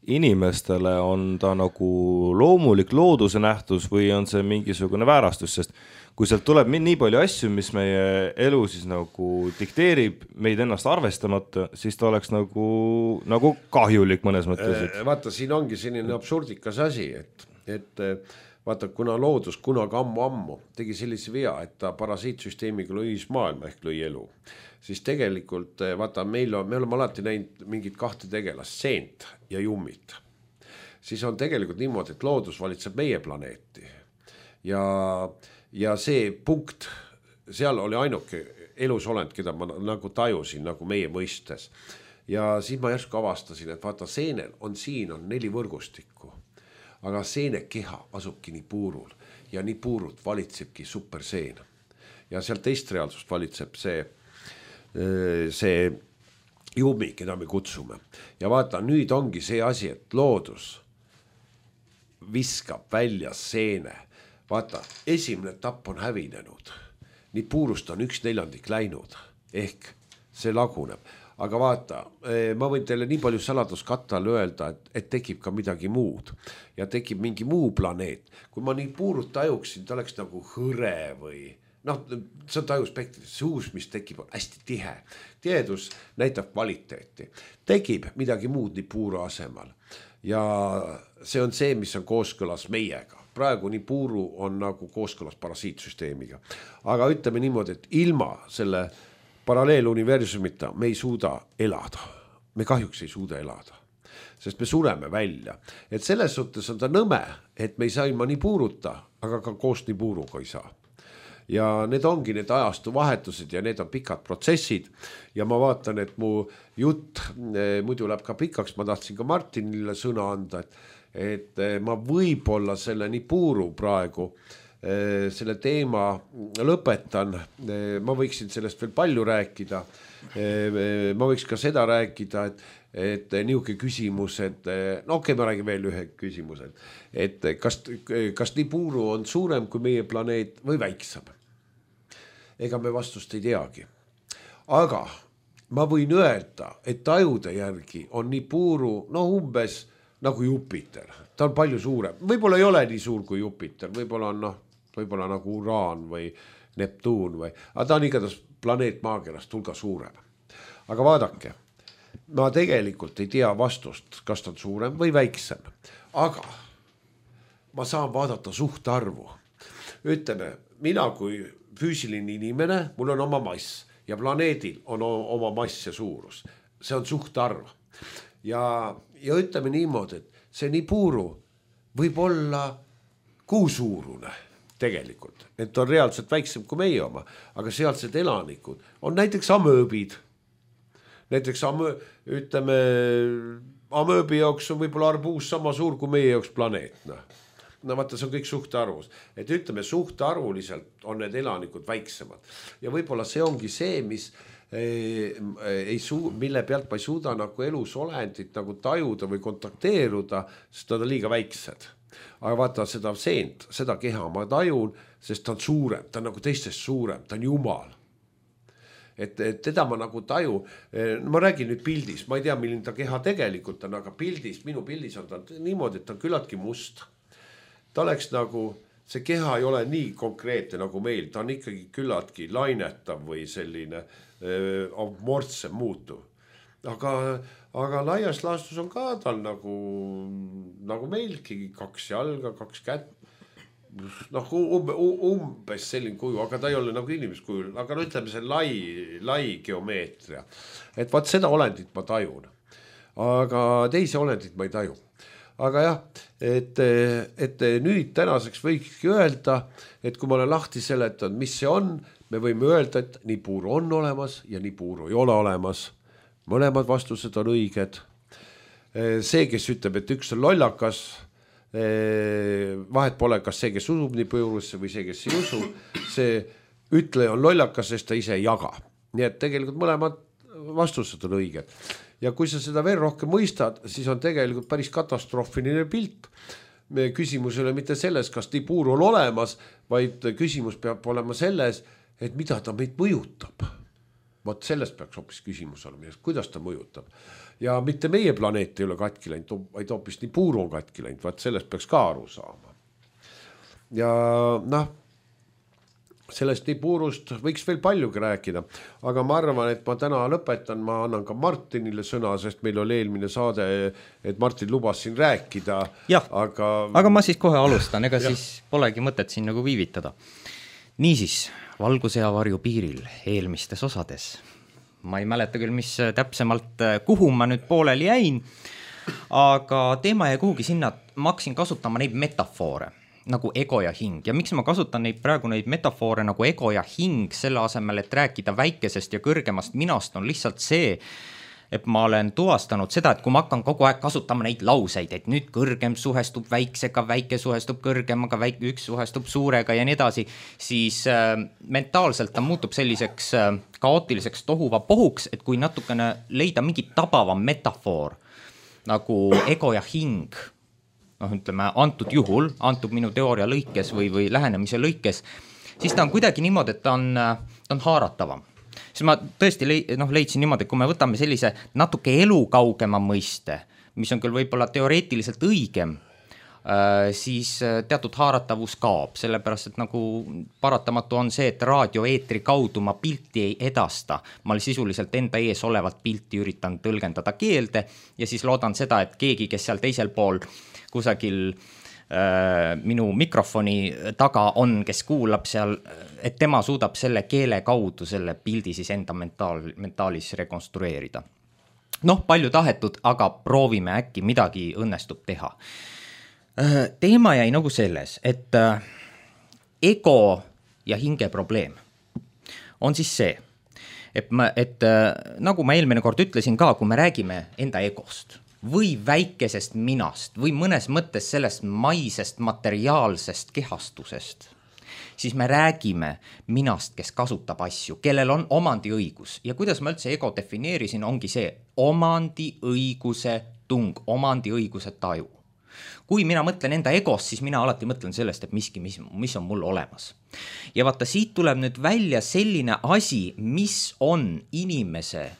inimestele on ta nagu loomulik looduse nähtus või on see mingisugune väärastus, sest kui sealt tuleb nii palju asju, mis meie elu siis nagu dikteerib meid ennast arvestamata, siis ta oleks nagu kahjulik mõnes mõttes. Vaata, siin ongi selline absurdikas asi, et vaata, kuna loodus kunagi ammu tegi sellise vea, et ta parasiitsüsteemiga lõi maailma ehk lõi elu, siis tegelikult vaata, me oleme alati näinud mingit kahte tegelast, seent ja jummit. Siis on tegelikult niimoodi, et loodus valitseb meie planeeti ja see punkt, seal oli ainuke elusolend, keda ma nagu tajusin nagu meie mõistes. Ja siis ma järsku avastasin, et vaata, seenel on siin 4 võrgustikku. Aga seene keha asubki nii puurul ja nii puurult valitsebki superseen. Ja seal teist reaalsust valitseb see jumi, keda me kutsume. Ja vaata, nüüd ongi see asi, et loodus viskab välja seene. Vaata, esimene etapp on hävinenud. Nii puurust on 1/4 läinud, ehk see laguneb. Aga vaata, ma võin teile nii palju saladuskattal öelda, et tekib ka midagi muud ja tekib mingi muu planeet. Kui ma nii puurut tajuksin, ta oleks nagu hõre või see on tajuspektris, see uus, mis tekib, on hästi tihe. Tihedus näitab kvaliteeti. Tekib midagi muud nii puuru asemal ja see on see, mis on kooskõlas meiega. Praegu nii puuru on nagu kooskõlas parasiitsüsteemiga. Aga ütleme niimoodi, et ilma selle paralleeluniversumita me ei suuda elada. Me kahjuks ei suuda elada, sest me sureme välja. Et selles suhtes on ta nõme, et me ei saa ilma nii puuruta, aga ka koos nii puuruga ei saa. Ja need ongi need ajastu vahetused ja need on pikad protsessid ja ma vaatan, et mu jutt muidu läheb ka pikaks, ma tahtsin ka Martinile sõna anda, et ma võib-olla selle nii puuru praegu selle teema lõpetan, ma võiksin sellest veel palju rääkida, ma võiks ka seda rääkida, et niuke küsimus, et okei, ma räägin veel ühe küsimuse, et kas nii puuru on suurem kui meie planeet või väiksem? Ega me vastust ei teagi. Aga ma võin öelda, et tajude järgi on nii puuru umbes nagu Jupiter. Ta on palju suurem. Võib-olla ei ole nii suur kui Jupiter, võib-olla on võib-olla nagu Uraan või Neptuun aga ta on igatahes planeet maakerast hulga suurem. Aga vaadake, ma tegelikult ei tea vastust, kas ta on suurem või väiksem, aga ma saan vaadata suhtarvu. Ütleme, mina kui füüsiline inimene, mul on oma mass ja planeedil on oma mass ja suurus. See on suhtarv. Ja ütleme niimoodi, et see nii puuru võib olla kuusuurune tegelikult, et on reaalselt väiksem kui meie oma, aga sealsed elanikud on näiteks amööbid. Näiteks ütleme, amööbi jaoks on võib-olla arbuus sama suur kui meie jaoks planeet. Vaata, see on kõik suhtarvus. Et ütleme, suhtarvuliselt on need elanikud väiksemad. Ja võib-olla see ongi see, mille pealt ma ei suuda nagu elusolendit nagu tajuda või kontakteeruda, sest nad on liiga väiksed. Aga vaata seda seent, seda keha ma tajun, sest ta on suurem, ta on nagu teistest suurem, ta on jumal. Et teda ma nagu taju, ma räägin nüüd pildis, ma ei tea, milline ta keha tegelikult on, aga minu pildis on ta niimoodi, et ta on küllaltki must. Ta oleks nagu, see keha ei ole nii konkreetne nagu meil, ta on ikkagi küllaltki lainetav või selline mortsem muutuv. Aga laias laastus on ka tal nagu meilgi 2 jalga, 2 kätt, umbes selline kuju, aga ta ei ole nagu inimeskujul, aga ütleme see lai geomeetria. Et vaat seda olendit ma tajun, aga teisi olendit ma ei taju. Aga jah, et nüüd tänaseks võikski öelda, et kui ma olen lahti seletanud, mis see on, me võime öelda, et nii puuru on olemas ja nii puuru ei ole olemas. Mõlemad vastused on õiged. See, kes ütleb, et üks on lollakas, vahet pole, kas see, kes usub nii puurusse või see, kes ei usu, see ütleja on lollakas, sest ta ise ei jaga. Nii et tegelikult mõlemad vastused on õiged. Ja kui sa seda veel rohkem mõistad, siis on tegelikult päris katastroofiline pilt. Küsimus ei ole mitte selles, kas nii puur on olemas, vaid küsimus peab olema selles, et mida ta meid mõjutab. vot sellest peaks hoopis küsimus olema, kuidas ta mõjutab. Ja mitte meie planeet ei ole katki läinud, vaid hoopis nii puuru on katki läinud, vaat sellest peaks ka aru saama. Ja sellest nii puurust võiks veel paljugi rääkida, aga ma arvan, et ma täna lõpetan, ma annan ka Martinile sõna, sest meil oli eelmine saade, et Martin lubas siin rääkida. Jah, aga ma siis kohe alustan, ega siis polegi mõtet siin nagu viivitada. Niisiis, valguse ja varju piiril eelmistes osades. Ma ei mäleta küll, mis täpsemalt, kuhu ma nüüd pooleli jäin, aga teema jäi kuhugi sinna, ma hakkasin kasutama neid metafoore nagu ego ja hing. Ja miks ma kasutan praegu neid metafoore nagu ego ja hing selle asemel, et rääkida väikesest ja kõrgemast minast, on lihtsalt see, et ma olen tuvastanud seda, et kui ma hakkan kogu aeg kasutama neid lauseid, et nüüd kõrgem suhestub väiksega, väike suhestub kõrgemaga, üks suhestub suurega ja nii edasi, siis mentaalselt ta muutub selliseks kaootiliseks tohuva pohuks, et kui natukene leida mingi tabavam metafoor nagu ego ja hing, ütleme, antud juhul, antud minu teooria lõikes või lähenemise lõikes, siis ta on kuidagi niimoodi, et ta on haaratavam. Siis ma tõesti leidsin niimoodi, et kui me võtame sellise natuke elukaugema mõiste, mis on küll võib-olla teoreetiliselt õigem, siis teatud haaratavus kaob, sellepärast, et nagu paratamatu on see, et raadioeetri kaudu ma pilti ei edasta. Ma sisuliselt enda ees olevat pilti üritan tõlgendada keelde ja siis loodan seda, et keegi, kes seal teisel pool kusagil minu mikrofoni taga on, kes kuulab seal, et tema suudab selle keele kaudu selle pildi siis enda mentaalis rekonstrueerida. Palju tahetud, aga proovime äkki midagi õnnestub teha. Teema jäi nagu selles, et ego ja hinge probleem on siis see, et nagu ma eelmine kord ütlesin ka, kui me räägime enda egost või väikesest minast või mõnes mõttes sellest maisest materiaalsest kehastusest, siis me räägime minast, kes kasutab asju, kellel on omandiõigus. Ja kuidas ma üldse ego defineerisin, ongi see omandiõiguse tung, omandiõiguse taju. Kui mina mõtlen enda egost, siis mina alati mõtlen sellest, et miski, mis on mul olemas. Ja vaata, siit tuleb nüüd välja selline asi, mis on inimese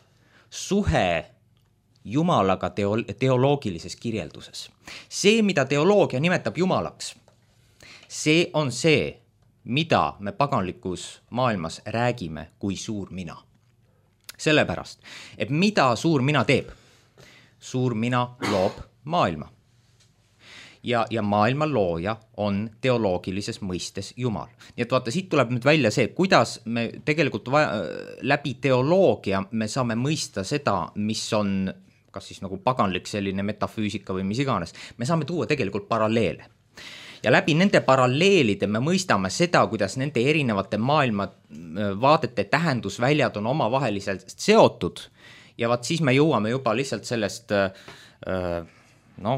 suhe Jumalaga teoloogilises kirjelduses. See, mida teoloogia nimetab Jumalaks, see on see, mida me paganlikus maailmas räägime kui suur mina. Sellepärast, et mida suur mina teeb? Suur mina loob maailma. Ja maailma looja on teoloogilises mõistes Jumal. Nii et vaata, siit tuleb nüüd välja see, kuidas me tegelikult läbi teoloogia me saame mõista seda, mis on kas siis nagu paganlik selline metafüüsika või mis iganes, me saame tuua tegelikult paralleele. Ja läbi nende paralleelide me mõistame seda, kuidas nende erinevate maailma vaadete tähendusväljad on omavaheliselt seotud ja vaat siis me jõuame juba lihtsalt sellest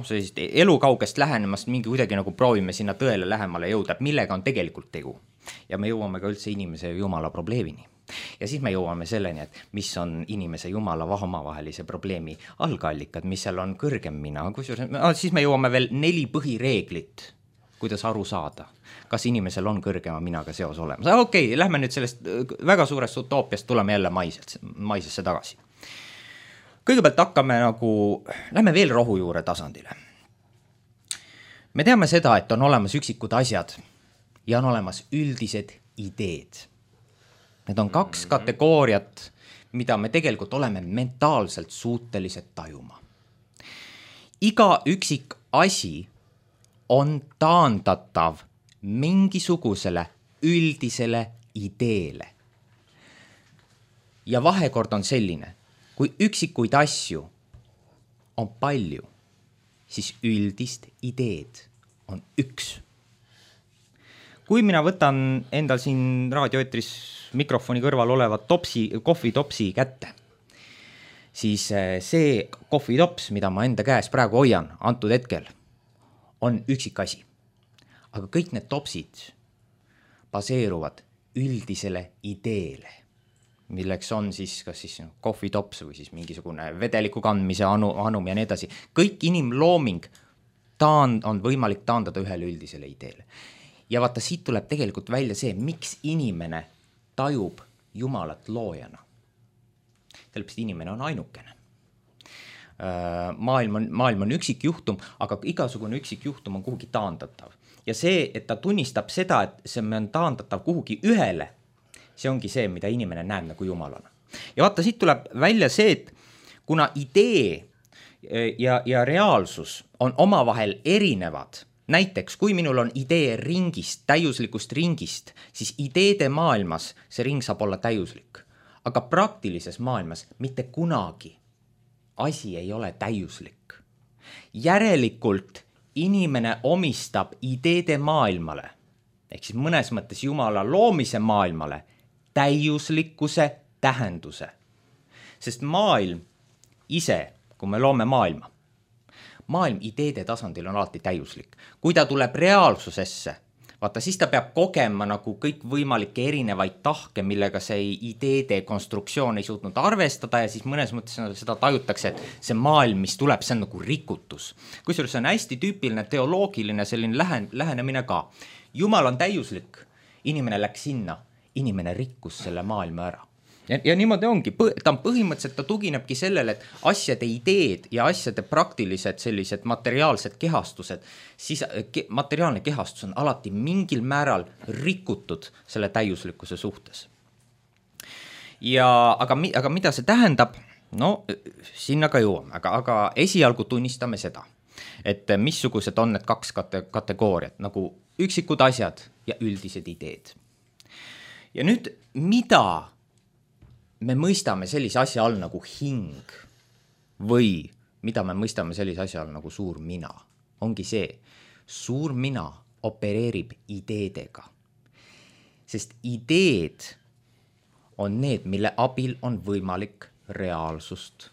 sellist elukaugest lähenemast mingi kuidagi nagu proovime sinna tõele lähemale jõuda, millega on tegelikult tegu. Ja me jõuame ka üldse inimese ja Jumala probleemini. Ja siis me jõuame selleni, et mis on inimese Jumala omavahelise probleemi algallikad, mis seal on kõrgem mina. Siis me jõuame veel 4 põhireeglit, kuidas aru saada, kas inimesel on kõrgema minaga seos olemas. Okei, lähme nüüd sellest väga suurest utoopiast, tuleme jälle maisesse tagasi. Kõigepealt lähme veel rohujuure tasandile. Me teame seda, et on olemas üksikud asjad ja on olemas üldised ideed. Need on 2 kategooriat, mida me tegelikult oleme mentaalselt suutelised tajuma. Iga üksik asi on taandatav mingisugusele üldisele ideele. Ja vahekord on selline, kui üksikuid asju on palju, siis üldist ideed on üks. Kui mina võtan endal siin raadioeetris mikrofoni kõrval olevat kohvitopsi kätte, siis see kohvitops, mida ma enda käes praegu hoian antud hetkel, on üksik asi. Aga kõik need topsid baseeruvad üldisele ideele, milleks on siis kas siis kohvitops või siis mingisugune vedeliku kandmise anum ja nii edasi. Kõik inimlooming on võimalik taandada ühele üldisele ideele. Ja vaata, siit tuleb tegelikult välja see, miks inimene tajub Jumalat loojana. sellepärast inimene on ainukene. Maailm on üksikjuhtum, aga igasugune üksikjuhtum on kuhugi taandatav. Ja see, et ta tunnistab seda, et see on taandatav kuhugi ühele, see ongi see, mida inimene näeb nagu jumalana. Ja vaata, siit tuleb välja see, et kuna idee ja reaalsus on omavahel erinevad, näiteks kui minul on idee ringist, täiuslikust ringist, siis ideede maailmas see ring saab olla täiuslik. Aga praktilises maailmas mitte kunagi asi ei ole täiuslik. Järelikult inimene omistab ideede maailmale, ehk siis mõnes mõttes Jumala loomise maailmale, täiuslikkuse tähenduse. Sest maailm ise, kui me loome maailm ideede tasandil on alati täiuslik. Kui ta tuleb reaalsusesse, vaata, siis ta peab kogema nagu kõik võimalikke erinevaid tahke, millega see ideede konstruktsioon ei suutnud arvestada ja siis mõnes mõttes seda tajutakse, et see maailm, mis tuleb, see on nagu rikutus. Kusjuures see on hästi tüüpiline teoloogiline selline lähenemine ka. Jumal on täiuslik, inimene läks sinna, inimene rikkus selle maailma ära. Ja niimoodi ongi, ta on põhimõtteliselt, ta tuginebki sellele, et asjade ideed ja asjade praktilised sellised materiaalsed kehastused, siis materiaalne kehastus on alati mingil määral rikutud selle täiuslikkuse suhtes. Aga mida see tähendab? No, sinna ka jõuame, aga esialgu tunnistame seda, et missugused on need kaks kategooriat, nagu üksikud asjad ja üldised ideed. Ja nüüd, mida me mõistame sellise asja all nagu hing või mida me mõistame sellise asja all nagu suur mina, ongi see, suur mina opereerib ideedega. Sest ideed on need, mille abil on võimalik reaalsust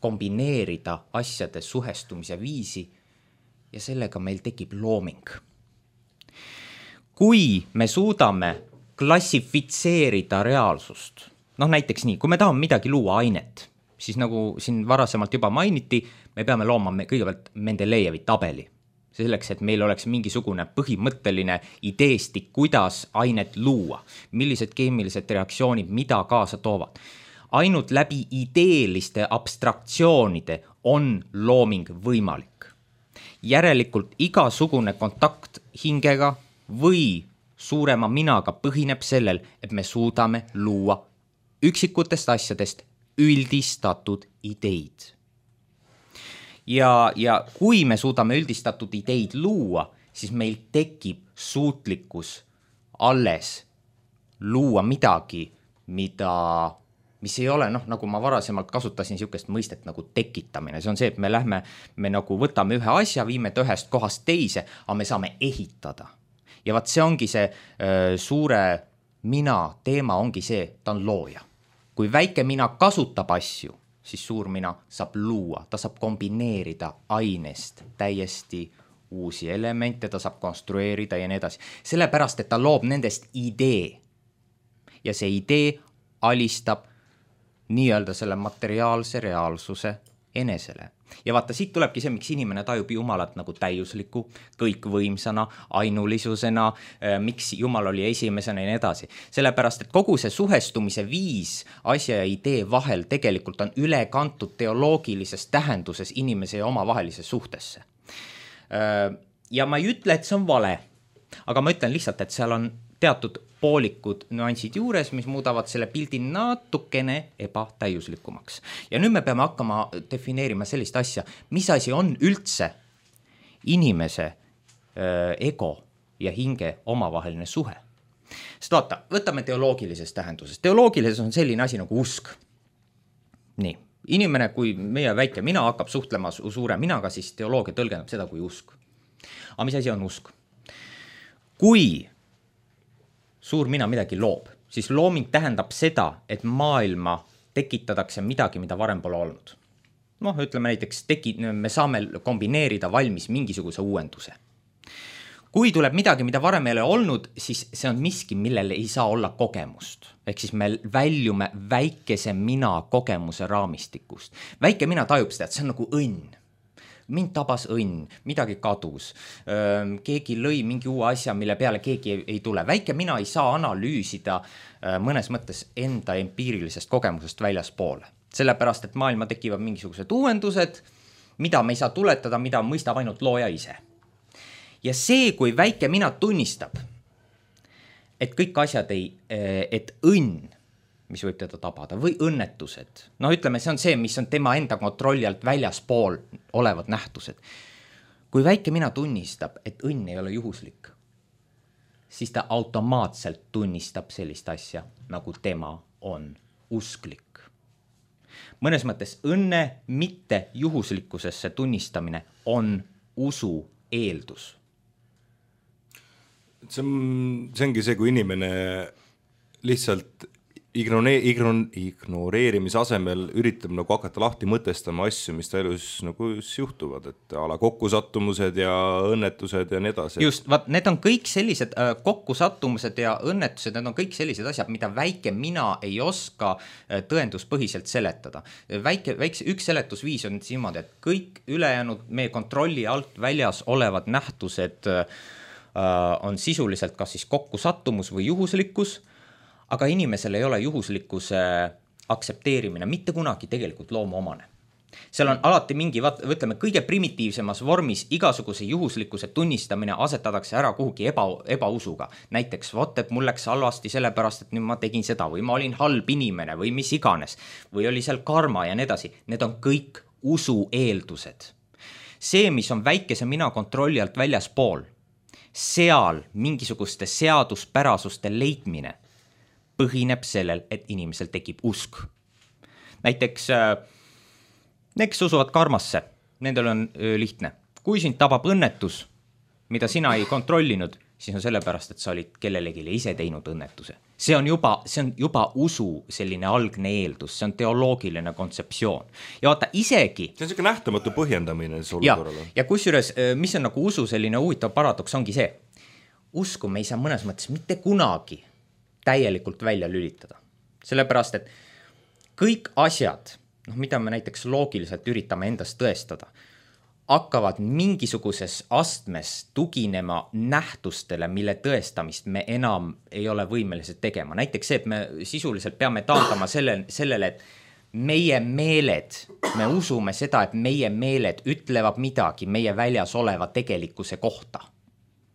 kombineerida asjade suhestumise viisi ja sellega meil tekib looming. Kui me suudame klassifitseerida reaalsust. Näiteks nii, kui me tahame midagi luua ainet, siis nagu siin varasemalt juba mainiti, me peame looma kõigepealt Mendelejevi tabeli. Selleks, et meil oleks mingisugune põhimõtteline ideestik, kuidas ainet luua, millised keemilised reaktsioonid, mida kaasa toovad. Ainult läbi ideeliste abstraktsioonide on looming võimalik. Järelikult igasugune kontakt hingega või suurema minaga põhineb sellel, et me suudame luua üksikutest asjadest üldistatud ideid. Ja kui me suudame üldistatud ideid luua, siis meil tekib suutlikkus alles luua midagi, mis ei ole, nagu ma varasemalt kasutasin niisugust mõistet nagu tekitamine. See on see, et me nagu võtame ühe asja, viime ta ühest kohast teise, aga me saame ehitada. Ja vaat see ongi see suure mina teema ongi see, ta on looja. Kui väike mina kasutab asju, siis suur mina saab luua, ta saab kombineerida ainest täiesti uusi elemente, ta saab konstrueerida ja nii edasi. Sellepärast, et ta loob nendest idee ja see idee alistab nii-öelda selle materiaalse reaalsuse enesele. Ja vaata, siit tulebki see, miks inimene tajub Jumalat nagu täiusliku, kõikvõimsana, ainulisusena, miks Jumal oli esimesena ja nii edasi. Sellepärast, et kogu see suhestumise viis asja ja idee vahel tegelikult on üle kantud teoloogilises tähenduses inimese ja omavahelises suhtesse. Ja ma ei ütle, et see on vale, aga ma ütlen lihtsalt, et seal on teatud poolikud nüansid juures, mis muudavad selle pildi natukene ebatäiuslikumaks. Ja nüüd me peame hakkama defineerima sellist asja, mis asi on üldse inimese ego ja hinge omavaheline suhe. Sest vaata, võtame teoloogilises tähenduses. Teoloogilises on selline asi nagu usk. Nii, inimene, kui meie väike mina hakkab suhtlema suure minaga, siis teoloogia tõlgendab seda kui usk. Aga mis asi on usk? Kui suur mina midagi loob, siis looming tähendab seda, et maailma tekitatakse midagi, mida varem pole olnud. Ütleme näiteks, me saame kombineerida valmis mingisuguse uuenduse. Kui tuleb midagi, mida varem ei ole olnud, siis see on miski, millele ei saa olla kogemust. Ehk siis me väljume väikese mina kogemuse raamistikust. Väike mina tajub seda, et see on nagu õnn. mind tabas õnn, midagi kadus, keegi lõi mingi uue asja, mille peale keegi ei tule. Väike mina ei saa analüüsida mõnes mõttes enda empiirilisest kogemusest väljaspoole. Sellepärast, et maailma tekivad mingisugused uuendused, mida me ei saa tuletada, mida mõistab ainult looja ise. Ja see, kui väike mina tunnistab, et kõik asjad et õnn, mis võib teda tabada, või õnnetused, no ütleme, see on see, mis on tema enda kontrolli alt väljaspool olevad nähtused. Kui väike mina tunnistab, et õnn ei ole juhuslik, siis ta automaatselt tunnistab sellist asja, nagu tema on usklik. Mõnes mõttes õnne mitte juhuslikkusesse tunnistamine on usu eeldus. See ongi see, kui inimene lihtsalt ignoreerimise asemel üritab nagu hakata lahti mõtestama asju, mis ta elus nagu juhtuvad, et ala kokkusattumused ja õnnetused ja nii edasi. Just, need on kõik sellised kokkusattumused ja õnnetused, need on kõik sellised asjad, mida väike mina ei oska tõenduspõhiselt seletada. Üks seletusviis on niimoodi, et kõik ülejäänud meie kontrolli alt väljas olevad nähtused on sisuliselt kas siis kokkusattumus või juhuslikkus, aga inimesel ei ole juhuslikkuse aktsepteerimine mitte kunagi tegelikult loomuomane. Seal on alati mingi, ütleme, kõige primitiivsemas vormis igasuguse juhuslikkuse tunnistamine asetatakse ära kuhugi ebausuga. Näiteks, et mul läks halvasti sellepärast, et nüüd ma tegin seda või ma olin halb inimene või mis iganes või oli seal karma ja nii edasi. Need on kõik usu eeldused. See, mis on väikese mina kontrolli alt väljaspool, seal mingisuguste seaduspärasuste leidmine põhineb sellel, et inimesel tekib usk. Näiteks, kes usuvad karmasse, nendel on lihtne. Kui sind tabab õnnetus, mida sina ei kontrollinud, siis on sellepärast, et sa olid kellelegi ise teinud õnnetuse. See on juba usu selline algne eeldus, see on teoloogiline kontseptsioon. Ja vaata, isegi... See on selline nähtamatu põhjendamine olukorrale. Ja kusjuures, mis on nagu usu selline huvitav paradoks, ongi see. Usku me ei saa mõnes mõttes mitte kunagi täielikult välja lülitada. Sellepärast, et kõik asjad, mida me näiteks loogiliselt üritame endast tõestada, hakkavad mingisuguses astmes tuginema nähtustele, mille tõestamist me enam ei ole võimelised tegema. Näiteks see, et me sisuliselt peame taandama sellele, et meie meeled, me usume seda, et meie meeled ütlevad midagi meie väljas oleva tegelikkuse kohta.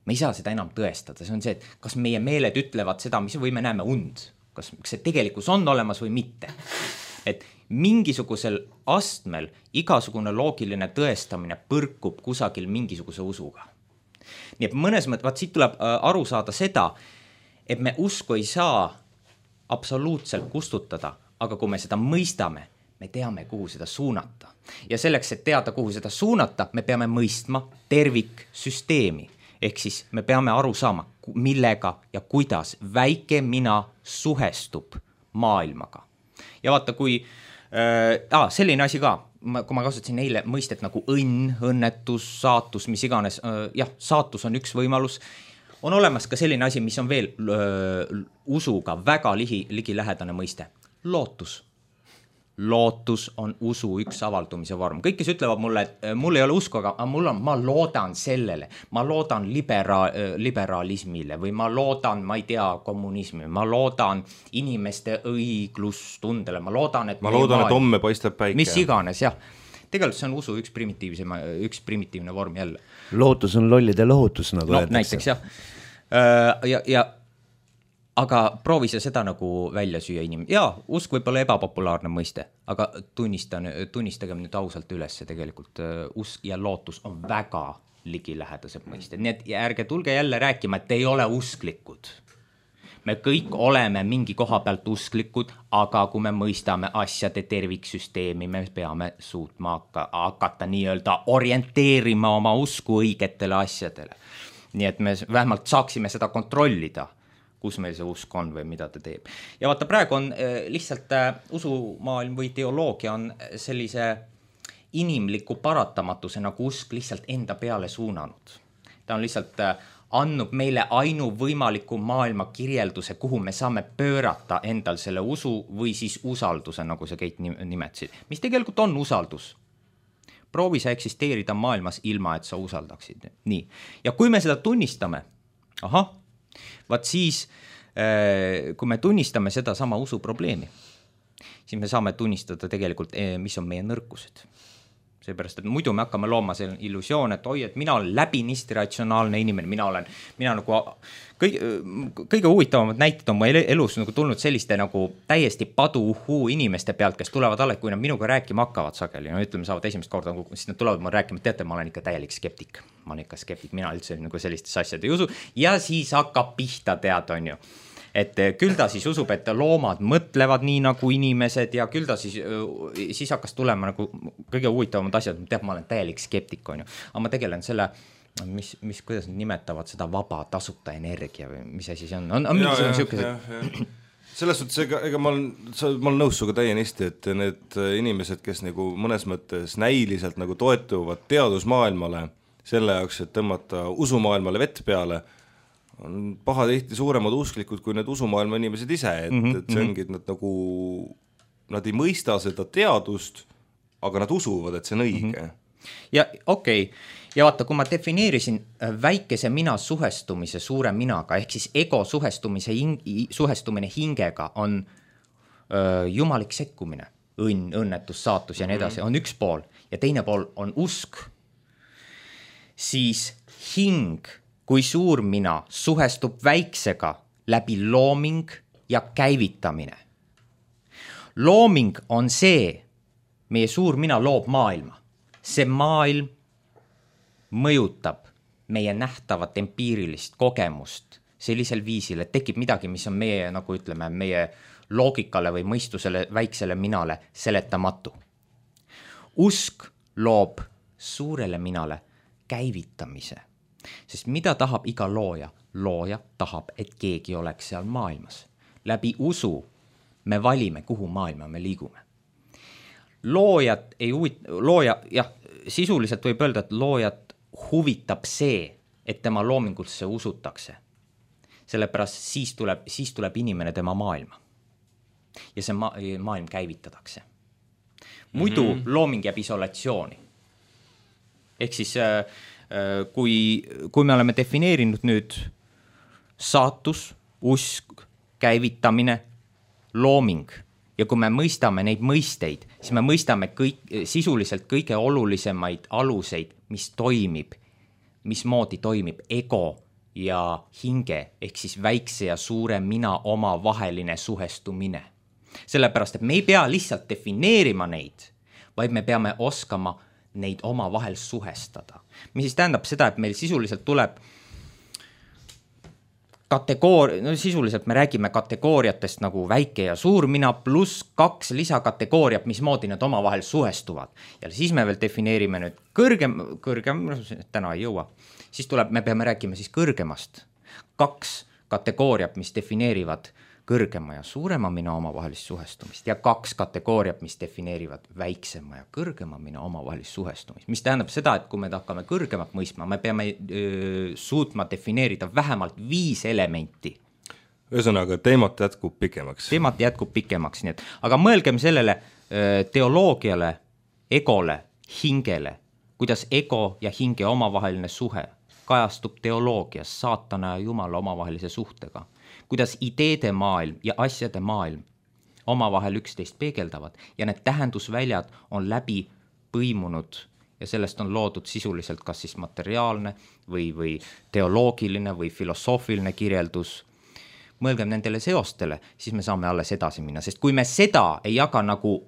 Me ei saa seda enam tõestada, see on see, et kas meie meeled ütlevad seda, mis või me näeme und, kas see tegelikkus on olemas või mitte. Et mingisugusel astmel igasugune loogiline tõestamine põrkub kusagil mingisuguse usuga. Nii et mõnes mõttes, siit tuleb aru saada seda, et me usku ei saa absoluutselt kustutada, aga kui me seda mõistame, me teame, kuhu seda suunata. Ja selleks, et teada, kuhu seda suunata, me peame mõistma terviksüsteemi. Ehk siis me peame aru saama, millega ja kuidas väike mina suhestub maailmaga. Ja vaata, kui selline asi ka, kui ma kasutasin eile mõistet nagu õnn, õnnetus, saatus, mis iganes, saatus on üks võimalus, on olemas ka selline asi, mis on veel usuga väga ligilähedane mõiste, lootus. Lootus on usu üks avaldumise vorm. Kõik, kes ütlevad mulle, et mul ei ole usku, aga ma loodan sellele, ma loodan liberaalismile või ma loodan, ma ei tea, kommunismi, ma loodan inimeste õiglustundele, ma loodan, et homme paistab päike. Mis iganes, jah. Tegelikult see on usu üks primitiivne vorm jälle. Lootus on lollide lohutus, nagu öeldakse. Näiteks, jah. Aga proovi seda nagu välja süüa inimene. Jaa, usk võib olla ebapopulaarne mõiste, aga tunnistagem nüüd ausalt üles, tegelikult usk ja lootus on väga ligilähedased mõisted. Nii et ärge tulge jälle rääkima, et ei ole usklikud. Me kõik oleme mingi koha pealt usklikud, aga kui me mõistame asjade terviksüsteemi, me peame suutma hakata nii-öelda orienteerima oma usku õigetele asjadele. Nii et me vähemalt saaksime seda kontrollida, kus meil see usk on või mida ta teeb. Ja vaata, praegu on lihtsalt usumaailm või teoloogia on sellise inimliku paratamatuse nagu usk lihtsalt enda peale suunanud. Ta on lihtsalt andnud meile ainuvõimaliku maailma kirjelduse, kuhu me saame pöörata endal selle usu või siis usalduse, nagu sa Keit nimetasid, mis tegelikult on usaldus. proovi sa eksisteerida maailmas ilma, et sa usaldaksid. Nii. Ja kui me seda tunnistame, vaat siis, kui me tunnistame seda sama usuprobleemi, siis me saame tunnistada tegelikult, mis on meie nõrkused. Seepärast, et muidu me hakkame looma selle illusioon, et oi, et mina olen läbinisti ratsionaalne inimene, mina nagu kõige huvitavamad näited on mu elus nagu tulnud selliste nagu täiesti paduhuu inimeste pealt, kes tulevad alle, kui nad minuga rääkima hakkavad sageli, no ütleme, saavad esimest korda, siis nad tulevad mulle rääkima, teate, ma olen ikka täielik skeptik, mina üldse nagu sellistes asjad ei usu, ja siis hakkab pihta tead, on ju. Et küll ta siis usub, et loomad mõtlevad nii nagu inimesed ja küll ta siis hakkas tulema nagu kõige huvitavamad asjad, teab, ma olen täielik skeptik, on ju. Aga ma tegelen selle, kuidas nad nimetavad seda vaba tasuta energia või mis asi see on? On mingisugune siukesed... Selles suhtes, ega ma olen nõus suga täienisti, et need inimesed, kes nagu mõnes mõttes näiliselt nagu toetuvad teadusmaailmale selle jaoks, et tõmmata usumaailmale vett peale, on pahatihti suuremad usklikud kui need usumaailma inimesed ise, et see ongi, et nad ei mõista seda teadust, aga nad usuvad, et see on õige. Ja okei. Ja vaata, kui ma defineerisin väikese mina suhestumise suure minaga, ehk siis ego suhestumine hingega on jumalik sekkumine, õnnetus, saatus ja nii edasi, on üks pool ja teine pool on usk, siis hing kui suur mina suhestub väiksega läbi looming ja käivitamine. Looming on see, meie suur mina loob maailma. See maailm mõjutab meie nähtavat empiirilist kogemust sellisel viisil, et tekib midagi, mis on meie, nagu ütleme, meie loogikale või mõistusele väiksele minale seletamatu. Usk loob suurele minale käivitamise. Sest mida tahab iga looja? Looja tahab, et keegi oleks seal maailmas. Läbi usu me valime, kuhu maailma me liigume. Sisuliselt võib öelda, et loojat huvitab see, et tema loomingusse usutakse. Sellepärast siis tuleb inimene tema maailma. Ja see maailm käivitatakse. Muidu looming jääb isolatsiooni. Ehk siis... Kui me oleme defineerinud nüüd saatus, usk, käivitamine, looming ja kui me mõistame neid mõisteid, siis me mõistame sisuliselt kõige olulisemaid aluseid, mismoodi toimib ego ja hinge, ehk siis väikse ja suure mina oma vaheline suhestumine. Sellepärast, et me ei pea lihtsalt defineerima neid, vaid me peame oskama neid oma vahel suhestada. Mis siis tähendab seda, et meil sisuliselt tuleb sisuliselt me räägime kategooriatest nagu väike ja suur mina pluss 2 lisakategooriat, mismoodi need oma vahel suhestuvad. Ja siis me veel defineerime nüüd kõrgem, täna ei jõua, siis me peame rääkima siis kõrgemast. 2 kategooriat, mis defineerivad kõrgema ja suurema mina omavahelist suhestumist ja 2 kategooriat, mis defineerivad väiksema ja kõrgema mina omavahelist suhestumist. Mis tähendab seda, et kui me hakkame kõrgemat mõistma, me peame suutma defineerida vähemalt 5 elementi. Ühesõnaga, teemat jätkub pikemaks. Nii et, aga mõelgem sellele teoloogiale, egole, hingele, kuidas ego ja hinge omavaheline suhe kajastub teoloogias saatana ja jumala omavahelise suhtega. Kuidas ideede maailm ja asjade maailm omavahel üksteist peegeldavad ja need tähendusväljad on läbi põimunud ja sellest on loodud sisuliselt kas siis materiaalne või teoloogiline või filosoofiline kirjeldus. Mõelgem nendele seostele, siis me saame alles edasi minna, sest kui me seda ei jaga nagu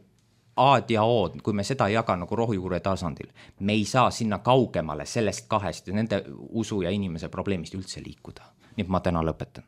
A-d ja O-d, kui me seda ei jaga nagu rohujuure tasandil, me ei saa sinna kaugemale sellest 2 ja nende usu ja inimese probleemist üldse liikuda. Nii et ma täna lõpetan.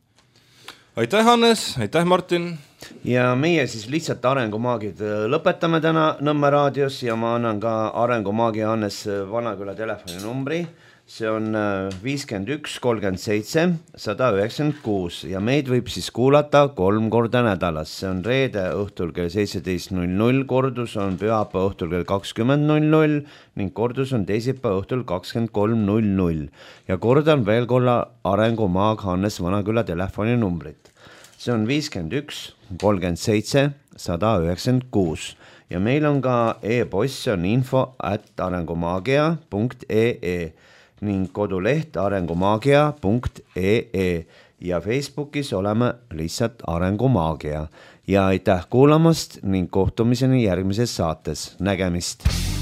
Aitäh, Hannes, aitäh, Martin. Ja meie siis lihtsalt arengumaagid lõpetame täna Nõmme raadios ja ma annan ka arengumaagi Hannes Vanaküla telefoninumbri. See on 51 37 196 ja meid võib siis kuulata 3 korda nädalas. See on reede õhtul kell 17.00, kordus on pühapäeva õhtul kell 20.00 ning kordus on teisipäeva õhtul 23.00. Ja kordan veel korra arengumaag Hannes Vanaküla telefoninumbrit. See on 51 37 196 ja meil on ka e-post, on info@arengumaagia.ee ning koduleht arengumaagia.ee ja Facebookis oleme lihtsalt Arengumaagia ja aitäh kuulamast ning kohtumiseni järgmises saates, nägemist!